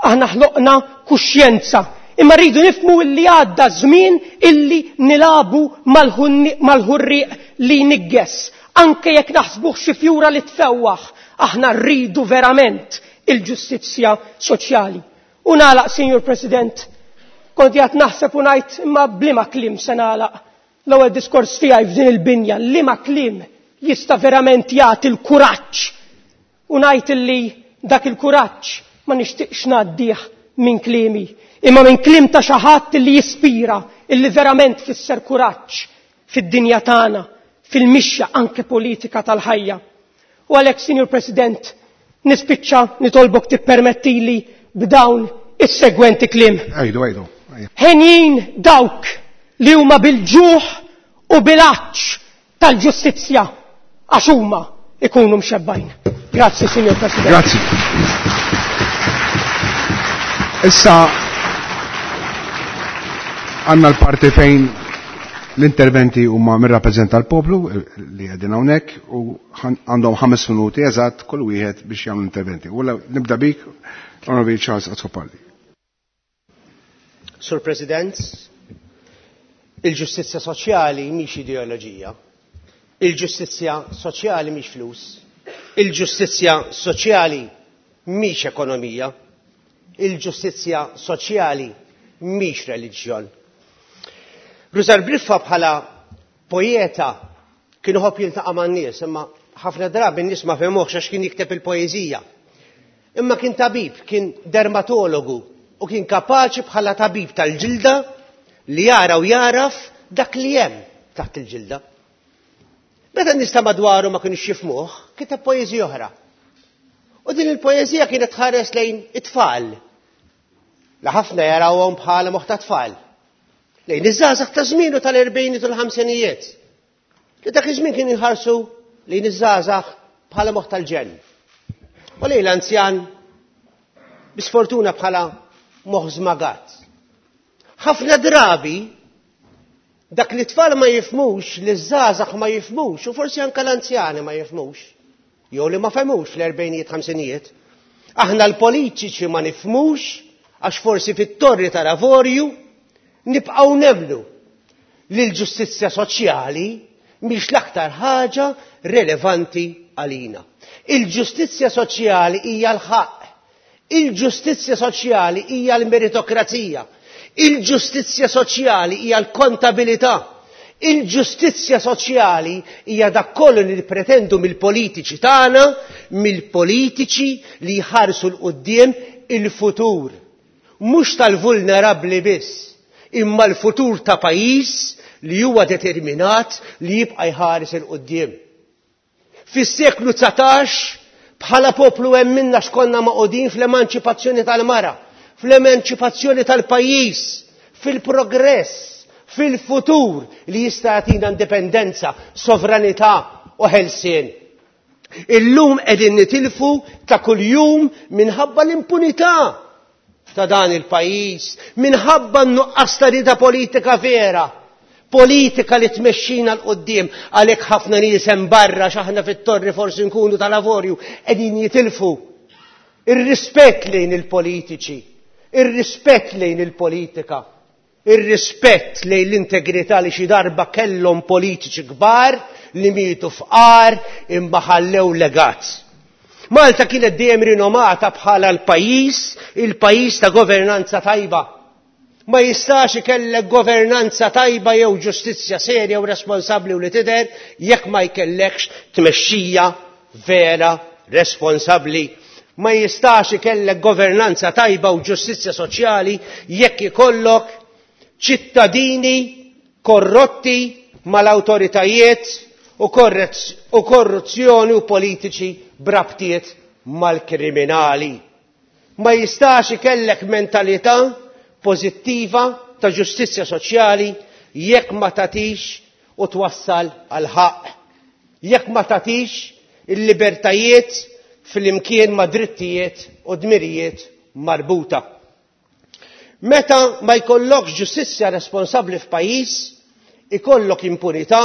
aħna ħloqna kuxjenza, imma rridu nifhmu illi għadda żmien illi nilabu mal-ħurrieq li jnigges. Anke jekk naħsbuh xi fjura li tfewwaħ, aħna rridu verament il-ġustizzja soċjali. U nagħlaq, Sinjur President, kont qiegħed naħseb u ngħid imma bliema kliem se nagħlaq l-ewwel diskors tiegħi f'din il-binja, liema kliem jista' verament jagħti l-kuraġġ. U ngħid illi dak il-kuraġġ ma nixtieqx ngħaddih minn kliemi, imma minn kliem ta' xi ħadd illi jispira, illi verament fisser kuraġġ fid-dinja tagħna, fil-mixja anke politika tal-ħajja. U għalhekk, Sinjur President, nispiċċa nitolbok tippermettili b'dawn is-segwenti kliem. Għidu, għidu. Henjin dawk li huma bil-ġuħ u bil-għatx tal-ġustizzja għax huma ikunu mxebbajn. Grazzi, Sinjur President. Grazzi. Issa għandna l-parti fejn l-interventi huma mir-rappreżentant tal-poplu li qegħdin hawnhekk u għandhom 5 minuti eżatt kull wieħed biex jagħmlu interventi. U nibda bik, Onorevoli Charles Azzopardi. Sur President, il-ġustizzja soċjali mhix ideoloġija. Il-ġustizzja soċjali mhix flus. Il-ġustizzja soċjali mhix ekonomija. Il-ġustizzja soċjali mhix reliġjon. Rużar Briffa bħala poeta kien iħobb jiltaqa' man-nies, imma ħafna drabi n-nies ma fehmuhx għax kien jikteb il-poeżija. Imma kien tabib, kien dermatologu u kien kapaċi bħala tabib tal-ġilda li jara u jaraf dak li hemm taħt il-ġilda. Meta n-nies ta' madwaru ma kienux jifhmuh, kiteb poeżija oħra. U din il-poeżija kienet tħares lejn it-tfal. La ħafna jarawhom bħala moħħ ta' tfal. Lejn iż-żgħażagħ ta' żmienu tal-erbgħiniet u l-ħamsinijiet. Li dak iż-żmien kienu jħarsu lejn iż-żgħażagħ bħala moħħ tal-ġenn. U lejn l-anzjan bisfortuna bħala moħħ żmagat. Ħafna drabi dak li tfal ma jifhmux, li ż-żgħażagħ ma jifhmux, u forsi anke l-anzjani ma jifhmux, jew li ma fehmux fl-erbgħinijiet, ħamsinijiet. Aħna l-politiċi ma nifhmux għax forsi fit-torri tal-avorju nibqgħu nemmnu li l-ġustizzja soċjali mhix l-aktar ħaġa relevanti għalina. Il-ġustizzja soċjali hija l-ħaqq. Il-ġustizzja soċjali hija l-meritokrazija. Il-ġustizzja soċjali hija l-kontabilità. Il-ġustizzja soċjali hija dak kollu li pretendu mill-politiċi tagħna, mill-politiċi li jħarsu 'l quddiem il-futur. Mhux tal-vulnerabbli biss, imma l-futur ta' pajjiż li huwa determinat li jibqa' jħares 'il quddiem. Fis-seklu 19 bħala poplu emminna x'konna magħqudin fl-emanċipazzjoni tal-mara, fl-emanċipazzjoni tal-pajjiż, fil-progress, fil-futur li jista' jagħtina indipendenza, sovranità u ħelsien. Illum qegħdin nitilfu ta' kuljum minħabba l-impunità ta' dan il-pajjiż, minħabba n-nuqqas ta' rieda politika vera. Politika li tmexxina 'l quddiem għalhekk ħafna nies hemm barra x'aħna fit-torri forsi nkunu tal-avorju qegħdin jitilfu ir-rispett lejn il-politiċi, ir-rispett lejn il-politika, ir-rispett lejn l-integrità li xi darba kellhom politiċi kbar li mietu fqar imma ħallew legat. Malta kienet dejjem rinomata bħala l-pajjiż, il-pajjiż ta' governanza tajba. Ma jistax ikellek governanza tajba jew ġustizzja serja u responsabbli u li tidher jekk ma jkellekx tmexxija vera responsabbli. Ma jistax ikellek governanza tajba u ġustizzja soċjali jekk ikollok ċittadini korrotti mal-awtoritajiet u korruzzjoni u politiċi b'rabtiet mal-kriminali. Ma jistax ikellek mentalità pożittiva ta' ġustizzja soċjali jekk ma tagħtix u twassal għal ħaqq. Jekk ma tagħtix il-libertajiet flimkien ma' drittijiet u dmirijiet marbuta. Meta ma jkollokx ġustizzja responsabbli f'pajjiż, ikollok impunità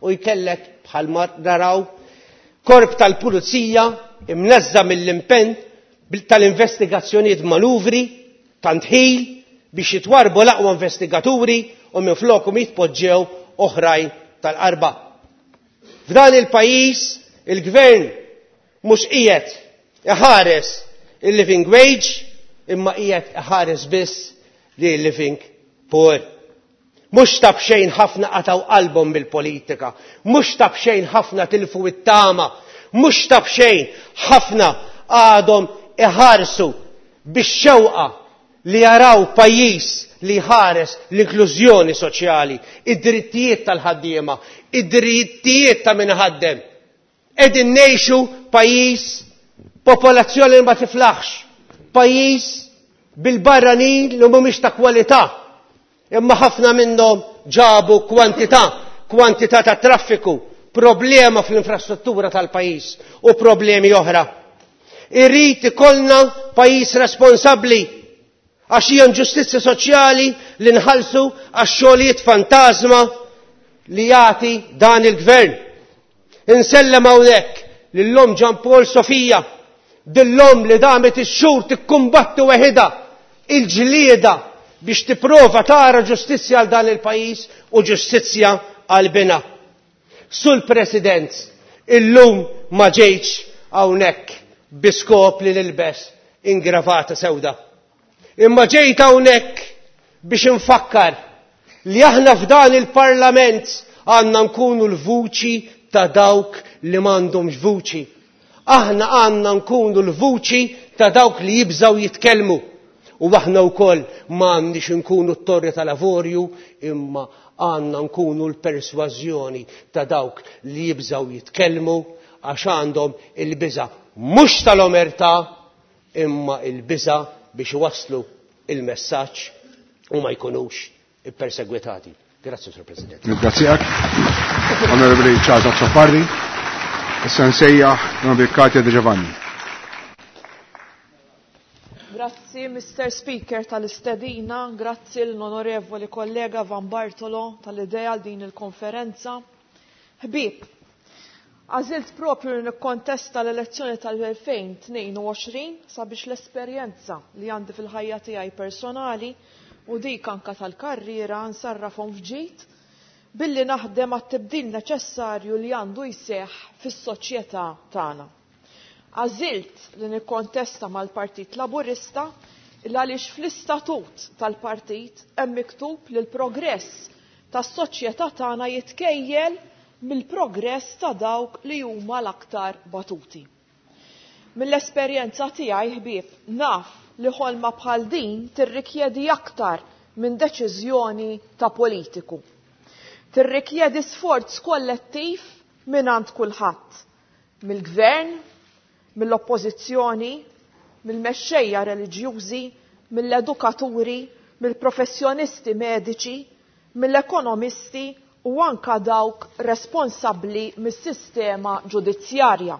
u jkellek bħalma naraw korp tal-pulizija imneżża mill-impenn tal-investigazzjonijiet manuvri ta' ndħil biex jitwarrbu l-aqwa investigaturi u minflokhom jitpoġġew oħrajn tal-qarba. F'dan il-pajjiż il-gvern mhux qiegħed iħares il-living wage imma qiegħed iħares biss li living poor. Mhux ta' b'xejn ħafna qatgħu qalbhom bil-politika, mhux ta' b'xejn ħafna tilfu it-tama, mhux ta' b'xejn ħafna għadhom iħarsu bix-xewqa li jaraw pajjiż li jħares l-inklużjoni soċjali, id-drittijiet tal-ħaddiema, id-drittijiet ta' min iħaddem. Qegħdin ngħixu pajjiż popolazzjoni li ma tiflaħx, pajjiż bil-barranin li mhumiex ta' kwalità, imma ħafna minnhom ġabu kwantità, kwantità ta' traffiku, problema fl-infrastruttura tal-pajjiż u problemi oħra. Irrid ikollna pajjiż responsabbli għax hija inġustizzja soċjali li nħallsu għax xogħlijiet fantażma li jagħti dan il-gvern. Insellem hawnhekk lil-omm Jean Paul Sofia, dil-omm li damet ix-xhur tikkumbatti weħidha il-ġlieda biex tipprova tara ġustizzja għal dan il-pajjiż u ġustizzja għal binha. Sul President, illum ma ġejtx hawnhekk bi skop li nilbes ingravata sewda. Imma ġejt hawnhekk biex infakkar li aħna f'dan il-Parlament għandna nkunu l-vuċi ta' dawk li m'għandhomx vuċi. Aħna għandna nkunu l-vuċi ta' dawk li jibżgħu jitkellmu. U aħna wkoll m'għandniex nkunu t-torri tal-avorju imma għandna nkunu l-persważjoni ta' dawk li jibżgħu jitkellmu għax għandhom il-biża' mhux tal-omertà imma il-biża' biex iwasslu il-messaġġ u ma jkunux ippersegwitati. Grazzi, Sur President. Nirringrazzjak. Onorevoli Charles Azzopardi. Issa nsejjaħ l-Onorevoli Katia De Giovanni. Grazzi, Mr. Speaker, tal-istedina, grazzi l-onorevoli kollega Van Bartolo tal-idea għal din il-konferenza. Ħbieb, għażilt propju li nikkontesta l-elezzjoni tal-2022 sabiex l-esperjenza li għandi fil-ħajja tiegħi personali u dik anka tal-karriera nsarrafhom f'ġid. billi naħdem għat-tibdil neċessarju li għandu jseħħ fis-soċjetà tagħna. Għażilt li nikkontesta mal-Partit Laburista il għaliex fl-istatut tal-partit hemm miktub li l-progress tas-soċjetà tagħna jitkejjel mill-progress ta' dawk li huma l-aktar batuti. Mill-esperjenza tiegħi ħbieb naf li ħolma bħal din tirrikjedi aktar minn deċiżjoni ta' politiku. Tirrikjedi sforz kollettiv mingħand kulħadd, mill-gvern, mill-oppożizzjoni, mill-mexxejja reliġjużi, mill-edukaturi, mill-professjonisti mediċi, mill-ekonomisti u anka dawk responsabbli mis-sistema ġudizzjarja.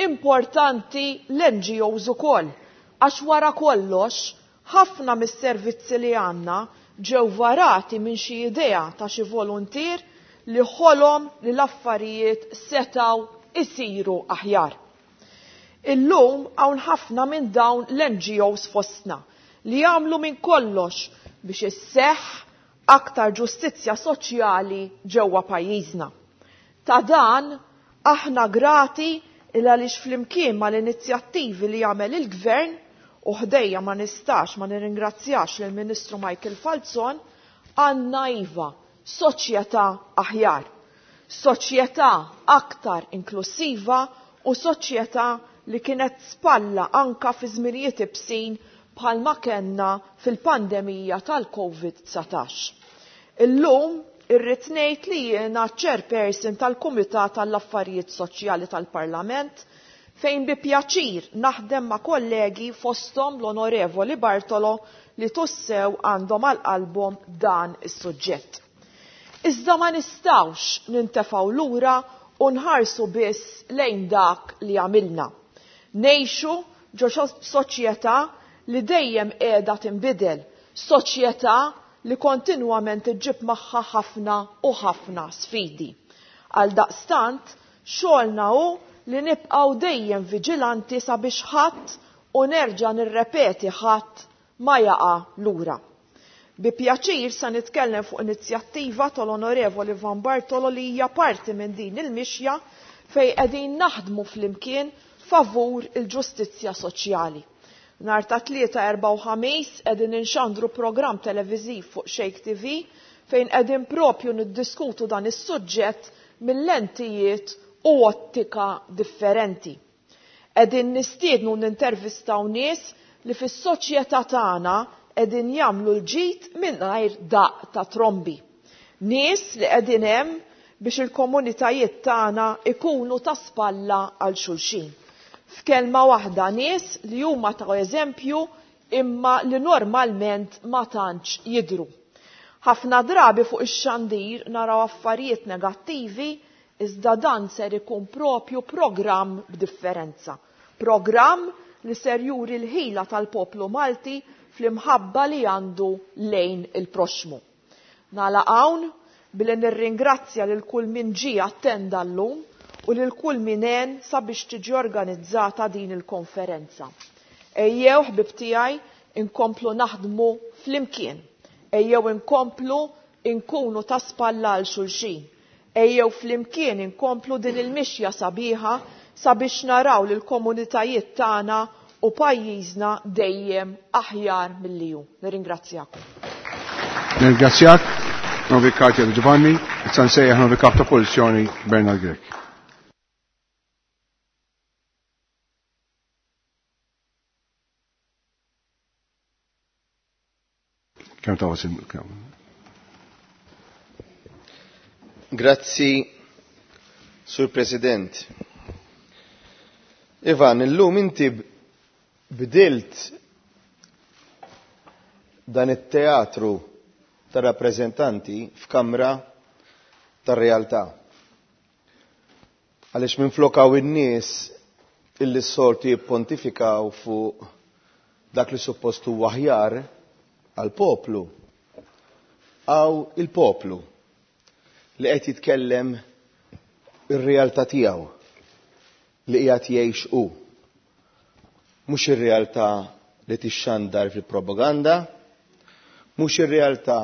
Importanti l-NGOs ukoll, għax wara kollox ħafna mis-servizzi li għandna ġew varati minn xi idea ta' xi voluntier li ħolom li l-affarijiet setgħu isiru aħjar. Illum hawn ħafna minn dawn l-NGOs fostna li jagħmlu minn kollox biex isseħħ aktar ġustizzja soċjali ġewwa pajjiżna. Ta' dan aħna grati il għaliex flimkien mal-inizjattivi li jagħmel il-Gvern u ħdejja ma nistax ma nirringrazzjax lill-Ministru Michael Falzon, għandna iva soċjetà aħjar, soċjetà aktar inklusiva u soċjetà li kienet spalla anka fi żminijiet ibsin bħalma kellna fil-pandemija tal-COVID-19. Illum irrid ngħid li jiena chairperson tal-Kumitat tal-Affarijiet Soċjali tal-Parlament fejn bi pjaċir naħdem ma' kollegi fosthom l-Onorevoli Bartolo li tussew għandhom għal qalbhom dan is-suġġett. Iżda ma nistgħux nintefgħu lura u nħarsu biss lejn dak li għamilna. Ngħixu ġo soċjetà li dejjem qiegħda tinbidel, soċjetà li kontinwament iġġib magħha ħafna u ħafna sfidi. Għal daqstant, xogħolna hu li nibqgħu dejjem viġilanti sabiex ħadd u nerġa' nirrepeti ħadd ma jaqa' lura. Bi pjaċir sa nitkellem fuq inizjattiva tal-Onorevoli Van Bartolo li hija parti minn din il-mixja fejn qegħdin naħdmu flimkien favur il-ġustizzja soċjali. Nhar ta' Tlieta, Erbgħa u Ħamis qegħdin inxandru programm televiżiv fuq Shake TV fejn qegħdin propju niddiskutu dan is-suġġett mill-lentijiet u ottika differenti. Qegħdin nistiednu nintervistaw nies li fis-soċjetà tagħna qegħdin jagħmlu l-ġid mingħajr daqq ta' trombi. Nies li qegħdin hemm biex il-komunitajiet tagħna ikunu ta' spalla għal xulxin. F'kelma waħda nies li huma ta' eżempju imma li normalment ma tantx jidhru. Ħafna drabi fuq ix-xandir naraw affarijiet negattivi iżda dan ser ikun propju programm b'differenza. Programm li ser juri l-ħila tal-poplu Malti fl-imħabba li għandu lejn il-proxxmu. Nagħlaq hawn billi nirringrazzja lil kull min ġie attenda llum u lil kull min għen sabiex tiġi organizzata din il-konferenza. Ejjew ħbib tiegħi inkomplu naħdmu flimkien. Ejjew inkomplu inkunu ta' spalla għal xulxin. Ejjew flimkien inkomplu din il-mixja sabiħa sabiex naraw lil komunitajiet tagħna u pajjiżna dejjem aħjar milli hu. Nirringrazzjakom. Nirringrazzjak, Novi Katia Giovanni, issa nsejjaħ Novi Kap ta' Oppożizzjoni Bernard Grech. Kemm ta' wasim, kemm? Grazzi, Sur President. Ivan, illum inti bdilt dan it-teatru ta' rappreżentanti f'kamra tar-realtà. Għaliex minflok hawn in-nies illi s-soltu jippontifikaw fuq dak li suppost huwa aħjar għall-poplu, hawn il-poplu li qed jitkellem ir-realtà tiegħu li qiegħed jgħix hu. Mhux ir-realtà li tixxandar fil-propaganda, mhux ir-realtà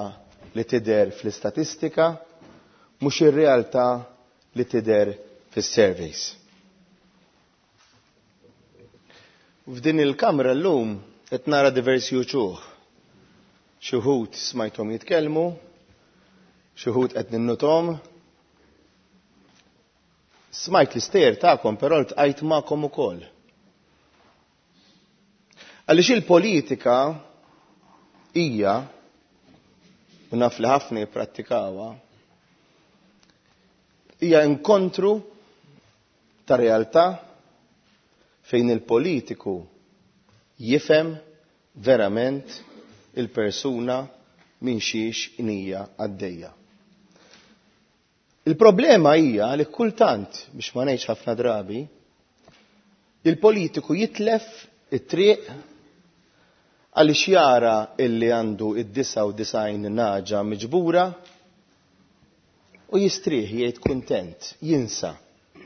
li tidher fl-istatistika, mhux ir-realtà li tidher fis-surveys. F'din il-kamra llum qed nara diversi uċuħ. Xi wħud smajthom jitkellmu, xi wħud qed ninnuthom. Smajt l-istejjer tagħkom però ltqajt magħkom ukoll. Għaliex il-politika hija, u naf li ħafna jipprattikawha, hija inkontru ta' realtà fejn il-politiku jifhem verament il-persuna minn xiex inija għaddejja. Il-problema hija li kultant, biex ma ngħidx ħafna drabi, il-politiku jitlef it-triq għaliex jara illi għandu id-99 naġa miġbura u jistrieħ jgħid kuntent, jinsa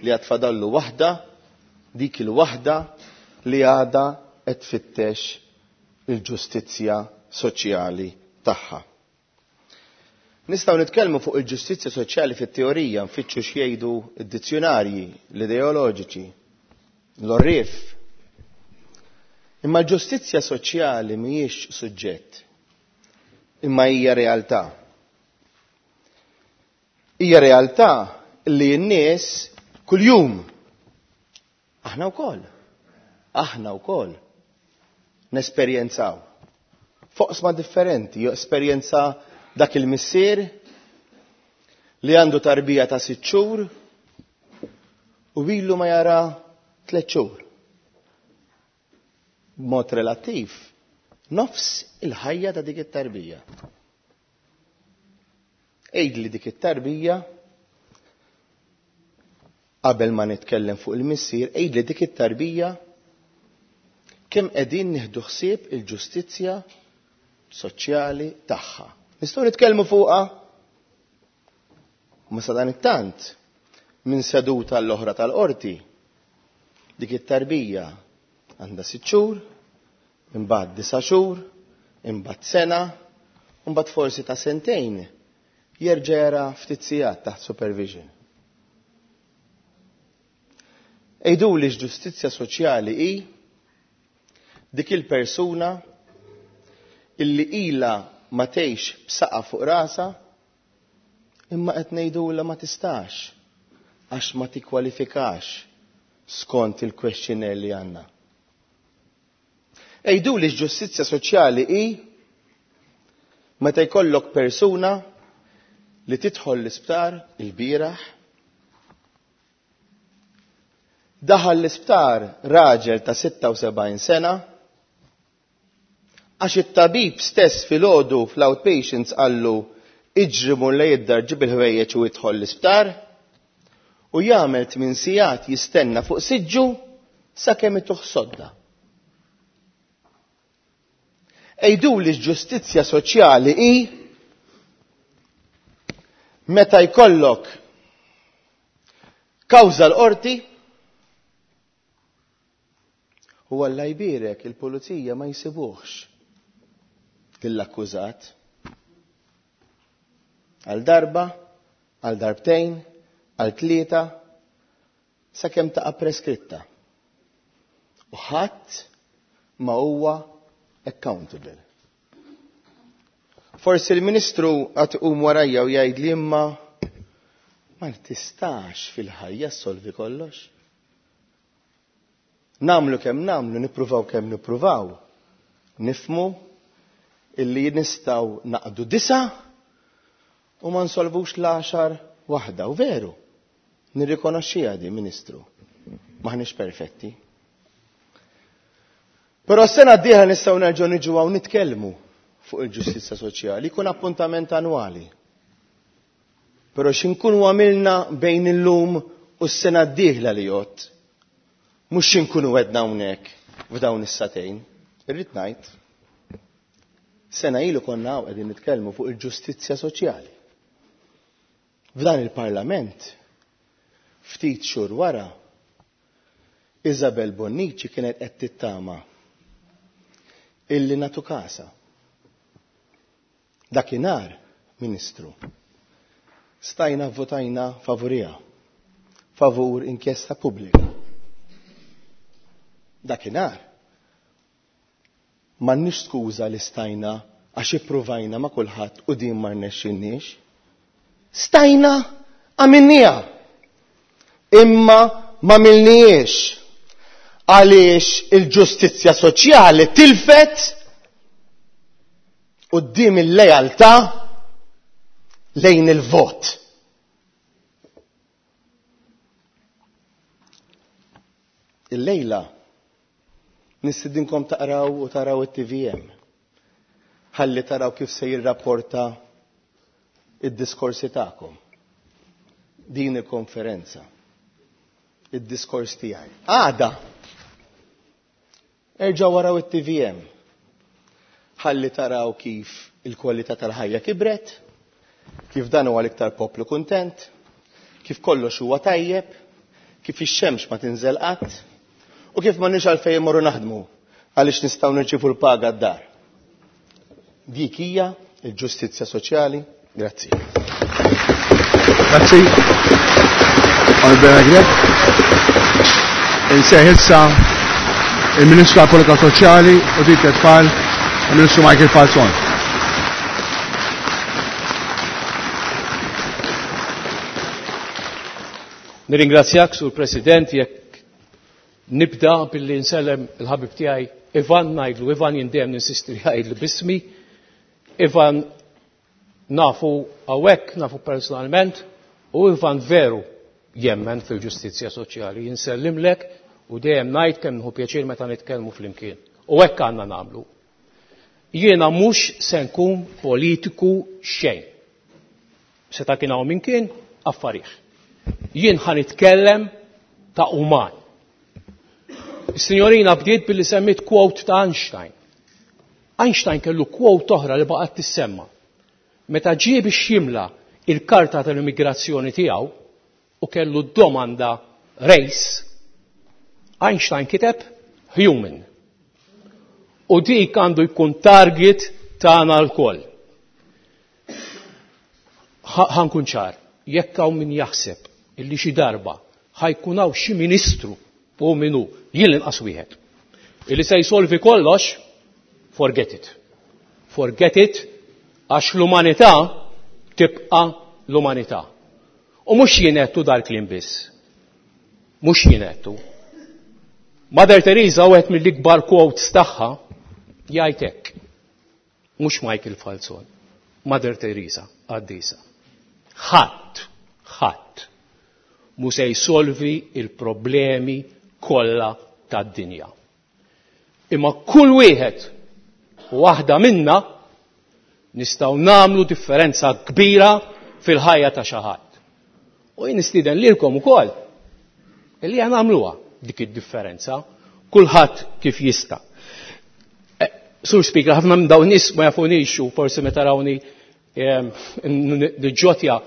li għad fadallu waħda, dik il-waħda li għadha qed tfittex il-ġustizzja soċjali tagħha. Nistgħu nitkellmu fuq il-ġustizzja soċjali fit-teorija, nfittxu x'jgħidu d-dizzjunarji, l-ideoloġiċi, l-għorrief. Imma l-ġustizzja soċjali mhijiex suġġett, imma hija realtà. Hija realtà li n-nies kuljum, aħna wkoll, aħna wkoll nesperjenzaw. Foqsma differenti, esperjenza dak il-missier li għandu tarbija ta' 6 xhur u ilu ma jara 3 xhur. B'mod relattiv, nofs il-ħajja ta' dik it-tarbija. Għidli dik it-tarbija, qabel ma nitkellem fuq il-missier, għidli dik it-tarbija kemm qegħdin nieħdu ħsieb il-ġustizzja soċjali tagħha. Nistgħu nitkellmu fuqha? Ma sa dan it-tant, minn seduta l-oħra tal-qorti, dik it-tarbija għandha 6 xhur, imbagħad 9 xhur, imbagħad sena, imbagħad forsi ta' sentejn jerġa' jara ftit sigħat taħt supervision. Għiduli x'ġustizzja soċjali hi dik il-persuna illi ilha ma tgħix b'saqa fuq rasha imma qed ngħidulha ma tistax għax ma tikkwalifikax skont il-questionnaire li għandna. Għiduli x'ġustizzja soċjali hi meta jkollok persuna li tidħol l-isptar il-bieraħ, daħal l-isptar raġel ta' 76 sena, għax it-tabib stess filgħodu fl-outpatients qallu iġri mur lejn id-dar ġib il-ħwejjeġ u idħol l-isptar, u jagħmel 8 sigħat jistenna fuq siġġu sakemm ituh sodda. Għiduli x'ġustizzja soċjali hi meta jkollok kawża l-qorti u Alla jbierek il-pulizija ma jsibuhx lill-akkużat. Għal darba, għal darbtejn, għal tlieta, sakemm taqa' preskritta. U ħadd ma huwa accountable. Forsi l-Ministru għad iqum warajja u jgħid li imma ma tistax fil-ħajja ssolvi kollox. Namlu kemm namlu, nippruvaw kemm nippruvaw, nifmu illi nistgħu naqdu 9 u ma nsolvux l-10 waħda. U veru, nirrikonoxxiha di, Ministru, maħniex perfetti. Però s-sena d-dieħla nistgħu nerġgħu niġu hawn nitkellmu fuq il-ġustizzja soċjali, jkun appuntament annwali. Però x'inkunu għamilna bejn illum u s-sena d-dieħla li jgħod, mhux x'inkunu għedna hawnhekk f'dawn is-satejn. Irrid ngħid, sena ilu konna hawn qegħdin nitkellmu fuq il-ġustizzja soċjali. F'dan il-Parlament, ftit xhur wara, Isabel Bonnici kienet qed tittama illi natu kasa. Dakinhar, Ministru, Stajna votajna favuriha. Favur inkjesta pubblika. Dakinhar m'għandniex skuża li stajna għax ippruvajna ma' kulħadd u din ma rnexxilniex. Stajna għamilniha. Imma ma milniex għaliex il-ġustizzja soċjali tilfet quddiem il-lealtà lejn il-vot. Illejla nistidinkom taqraw u taraw it-TVM. Ħalli taraw kif se jirrapporta id-diskorsi tagħkom. Din il-konferenza. Id-diskors tiegħi. Għada. Erġgħu waraw it-TVM. Ħalli taraw kif il-kwalità tal-ħajja kibret, kif dan huwa l-iktar poplu kuntent, kif kollox huwa tajjeb, kif ix-xemx ma tinżel qatt, u kif m'għandniex għalfejn immorru naħdmu għaliex nistgħu nirċievu l-paga d-dar. Dik hija l-ġustizzja soċjali. Grazzi. Grazzi. Onorevole Grech. Insejħ issa il-Ministru għal-Politika Soċjali u dik it-tfal, il-Ministru Michael Falzon. Nirringrazzjak, Sur President, jekk nibda billi nsellem il-ħabib tiegħi Ivan ngħidlu, Ivan jien dejjem ninsisti li jgħidlu bismi. Ivan nafu hawnhekk, nafu personalment, u Ivan veru jemmen fil-ġustizzja soċjali. Jinsellimlek u dejjem ngħid kemm nħu pjaċir meta nitkellmu flimkien. U hekk għandna nagħmlu. Jiena mhux se nkun politiku xejn. Seta' kien hawn min kien, affarih. Jien ħa nitkellem ta' uman. Is-sinjorina bdiet billi semmiet quote ta' Einstein. Einstein kellu quote oħra li baqgħet tissemma. Meta ġie biex jimla il-karta tal-immigrazzjoni tiegħu u kellu d-domanda race, Einstein kiteb human. U dik għandu jkun target tagħna lkoll. Ħankun ċar, jekk hawn min jaħseb illi xi darba ħajkun hawn xi ministru u min hu, jien l-inqas wieħed, illi se jsolvi kollox, forget it. Forget it, għax l-umanità tibqa' l-umanità. U mhux jien għedtu dal-kliem biss. Mhux jien għedtu. Mother Teresa wieħed mill-ikbar quotes tagħha jgħid hekk. Mhux Michael Falzon, Mother Teresa, qaddisa. Ħadd, ħadd mhu se jsolvi il-problemi kollha tad-dinja. Imma kull wieħed u waħda minna nistgħu nagħmlu differenza kbira fil-ħajja ta' xi ħadd. U jien nistieden lilkom ukoll illi aħna nagħmluha dik id-differenza, kulħadd kif jista'. Eh, Sur Speaker, ħafna minn dawn nies ma jafunix u forsi meta rawni niġġotja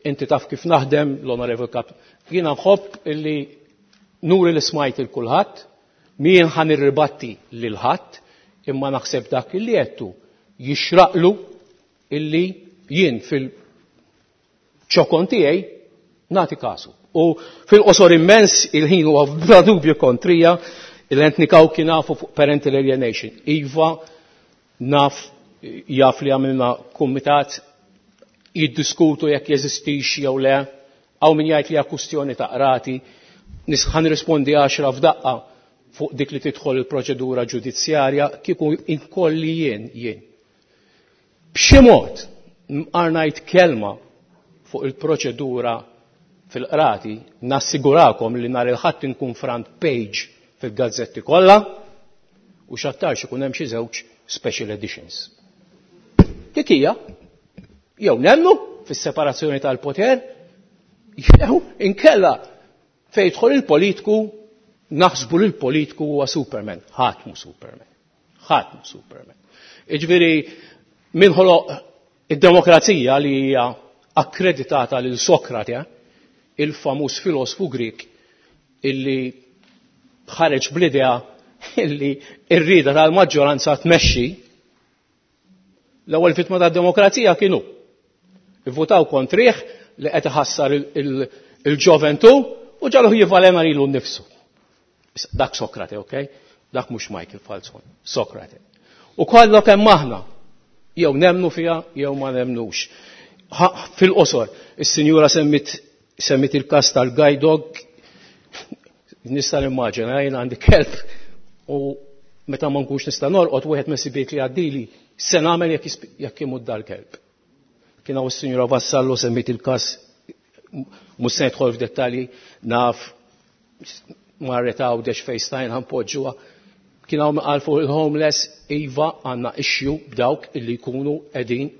inti taf kif naħdem l-Onorevol Kap. Jiena nħobb illi nuri li smajt il kulħadd, mien ħan irribatti lil ħadd, imma naħseb dak illi għedtu jixraqlu illi jien fil-ċokon tiegħi nagħti kasu. U fil-qosor immens il-ħin huwa bla dubju kontrija il-Anthony Cauchi nafu fuq parental alienation. Iva naf jaf li għamilna kumitat jiddiskutu jekk jeżistix jew le, hawn min jgħid li hija kwistjoni ta' qrati, ħa nirrispondi għaxra f'daqqa fuq dik li tidħol il-proċedura ġudizzjarja kieku inkolli jien jien. B'xi mod mqar ngħid kelma fuq il-proċedura fil-qrati, nassigurakom li nhar il-Ħadd inkun front page fil-gazzetti kollha u x'aktarx ikun hemm xi żewġ special editions. Dik hija jew nemnu fis-separazzjoni tal-poter jew inkella fejn jidħol il-politiku naħsbu li l-politiku huwa Superman. Ħadd mhu Superman. Ħadd mhu Superman. Jiġifieri min ħoloq id-demokrazija li hija akkreditata lil Sokrate, il-famuż filosfu Grik illi ħareġ bl-idea illi r-rieda tal-maġġoranza tmexxi, l-ewwel vittma tad-demokrazija kien hu. Ivvutaw kontrih li qed iħassar il-ġoventu u ġaluh jivalena lilu nnifsu. Dak Sokrate, ok? Dak mhux Michael Falzon, Sokrate. U kollok hemm aħna, jew nemnu fiha jew ma nemnux. Fil-qosor, is-sinjura semmit semmit il-każ tal-guide dog, nista' nimmaġina jien għandi kelb u meta ma nkunx nista' norqod wieħed minn sibiet li għaddili se nagħmel jekk imut dal-kelb. Kien hawn is-Sinjura Vassallo semmit il-każ mhux se nidħol f'dettalji naf marret Għawdex fejn stajna npoġġuha. Kien hawn qal fuq il-homeless iva għandna issue b'dawk illi jkunu qegħdin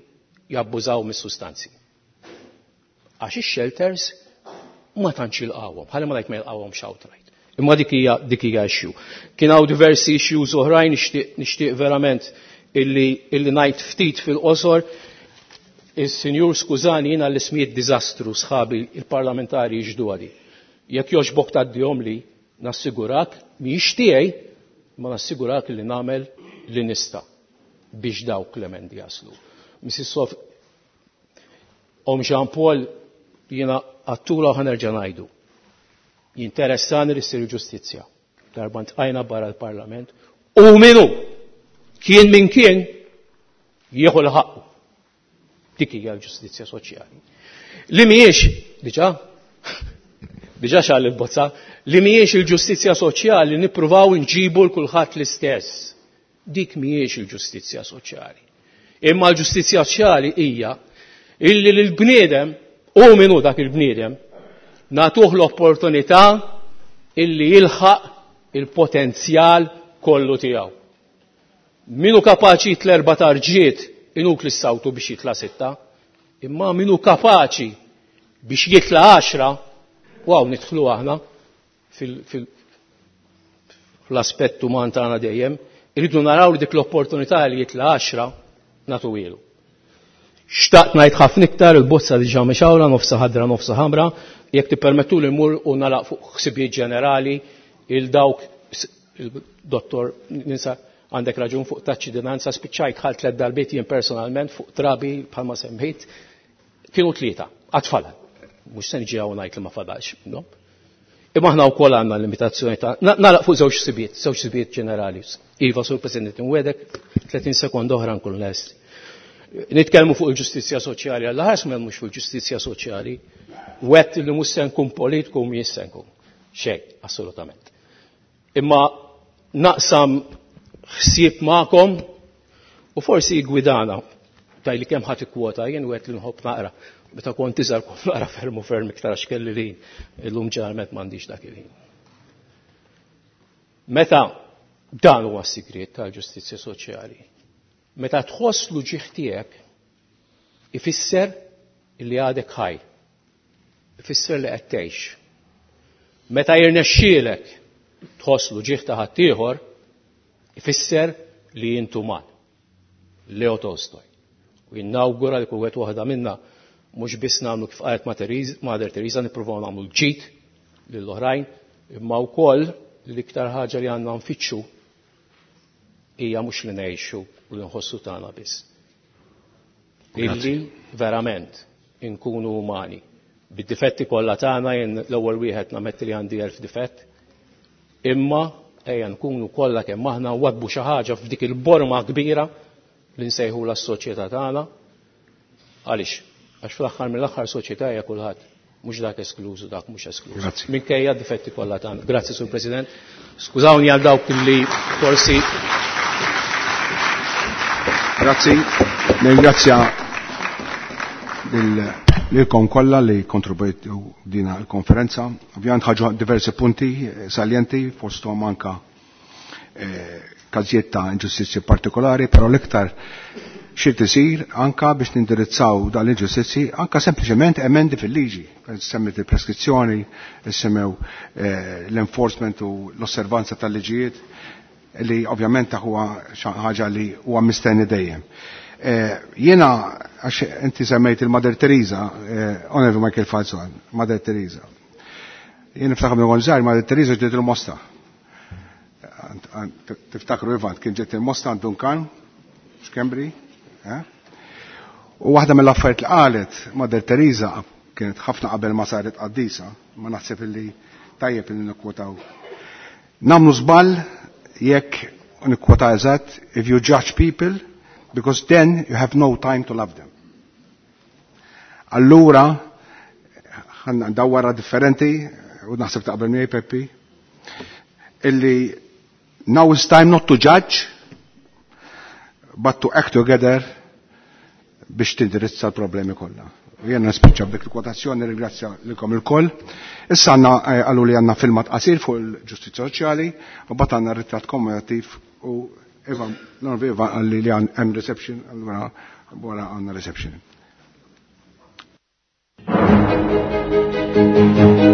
jabbużaw mis-sustanzi. Għax ix-shelters ma tantx jilqawhom, ħalli ma ngħid ma jilqawhomx outright. Imma dik hija dik hija issue. Kien hawn diversi issues oħrajn nixtieq nixtieq verament illi illi ngħid ftit fil-qosor. Is-Sinjur skużani jiena l-ismijiet diżastru sħabi il-parlamentari jixdu għadi. Jekk jogħġbok tgħaddihom li nassigurak mhijiex tiegħi ma nassigurak li nagħmel li nista' biex dawk l-emendi jaslu. Mrs. Sof Om Jean Paul jiena għattula u ħanerġa' ngħidu. Jinteressani li ssir ġustizzja. Darba ntqajna barra l-Parlament u minu kien min kien jieħu l-ħaqqu. Dik hija l-ġustizzja soċjali. Li mhijiex diġà diġà xal il-bozza, li mhijiex il-ġustizzja soċjali nippruvaw nġibu l kulħadd l-istess. Dik mhijiex il-ġustizzja soċjali. Imma l-ġustizzja soċjali hija illi l-bniedem u minu dak il-bniedem nagħtuh l-opportunità illi jilħaq il-potenzjal kollu tiegħu. Minu kapaċi jitla erba' tarġiet inutli ssawtu biex jitla' sitta, imma minu kapaċi biex jitla' għaxra, waw nidħlu aħna fl-aspett uman tagħna dejjem, irridu naraw li dik l-opportunità li jitla' għaxra nagħtuhielu. Xtaqt ngħid ħafna iktar il-bozza diġà mixawra nofsa ħadra nofsa ħamra, jekk tippermettu li mmur u nalaq fuq ħsibijiet ġenerali il dawk il-dottor ninsa għandek raġun fuq taċ-ċittadinanza spiċċajt ħal tliet darbiet jien personalment fuq trabi bħalma semmejt kienu tlieta għad fadal. Mhux se niġi hawn ngħid li ma fadalx minnhom. Imma aħna wkoll għandna limitazzjoni ta' nagħlaq fuq żewġ sibiet, żewġ sibiet ġenerali. Iva, Sur President, inwedek 30 sekond oħra nkun lest. Nitkellmu fuq il-ġustizzja soċjali, għalla ħares ma mhux fuq il-ġustizzja soċjali. Wett li mhux se nkun politiku mhijiex se nkun. Xejn, assolutament. Imma naqsam ħsieb magħkom u forsi jgwidana tajli kemm ħadd ikkwota jien wieħed li nħobb naqra. Meta kont iżgħar kont naqra ferm u ferm iktar għax kelli li illum ġeneralment m'għandix dak il-ħin. Meta dan huwa s-sigriet tal-ġustizzja soċjali. Meta tħoss l-uġigħ tiegħek ifisser li għadek ħaj. Ifisser li qed tgħix. Meta jirnexxielek tħoss l-uġigħ ta' ħaddieħor, ifisser li int uman. Leo Tolstoj. U jinnawgura li kull wieħed waħda minna mhux biss nagħmlu kif qalet Mother Teresa nippruvaw nagħmlu l-ġid lill-oħrajn, imma wkoll l-iktar ħaġa li għandna nfittxu hija mhux li ngħixu u li nħossu tagħna biss. Illi verament inkunu umani. Bid-difetti kollha tagħna jien l-ewwel wieħed nametti li għandi elf difett, imma ejja nkunu kollha kemm aħna wadbu xi ħaġa f'dik il-borma kbira li nsejħula s-soċjetà tagħna. Għaliex? Għax fl-aħħar mill-aħħar soċjetà hija kulħadd mhux dak eskluż u dak mhux eskluż. Minkejja d-difetti kollha tagħna. Grazzi Sur President. Skużawni għal dawk li forsi Grazzi. Nirringrazzja lilkom kollha li kontribwejtu dina l-konferenza. Ovvjament ħaġu diversi punti saljenti fosthom anka eh, każijiet ta' inġustizzji partikolari, però l-iktar xi tisir anka biex nindirizzaw dan l-inġustizzi anka sempliċement emendi fil-liġi. Semmit il-preskrizzjoni, semmew eh, l-enforcement u l-osservanza tal-liġijiet li ovvjament huwa ħaġa li huwa mistenni dejjem. Eh, jiena, għax inti semmejt il-Mother Teresa, eh, Onorevoli Michael Falzon, Mother Teresa. Jien niftakar minn kont żgħir Mother Teresa ġiet il-Mosta. Tiftakru Ivan, kien ġiet il-Mosta għand Duncan, Schembri, eh? U waħda mill-affarijiet li qalet Mother Teresa kienet ħafna qabel ma saret qaddisa, ma naħseb illi tajjeb illi nikkwotaw. Namlu żball jekk nikkwota eżatt, if you judge people, because then you have no time to love them. Allura, ħanna ndawwara differenti, u naħseb taqbel miegħi Peppi, illi now is time not to judge, but to act together biex tindirizza l-problemi kollha. Jena nispiċċa b'dik il-kwotazzjoni, ringrazzja lilkom ilkoll. Issa għandna eh, qalu li għandna filmat qasir fuq il-ġustizzja soċjali, u bat għandna ritratt kommemorattiv u Eva, l-onorevoli Eva għalli li hemm reception, allura wara għandna reception. Thank you.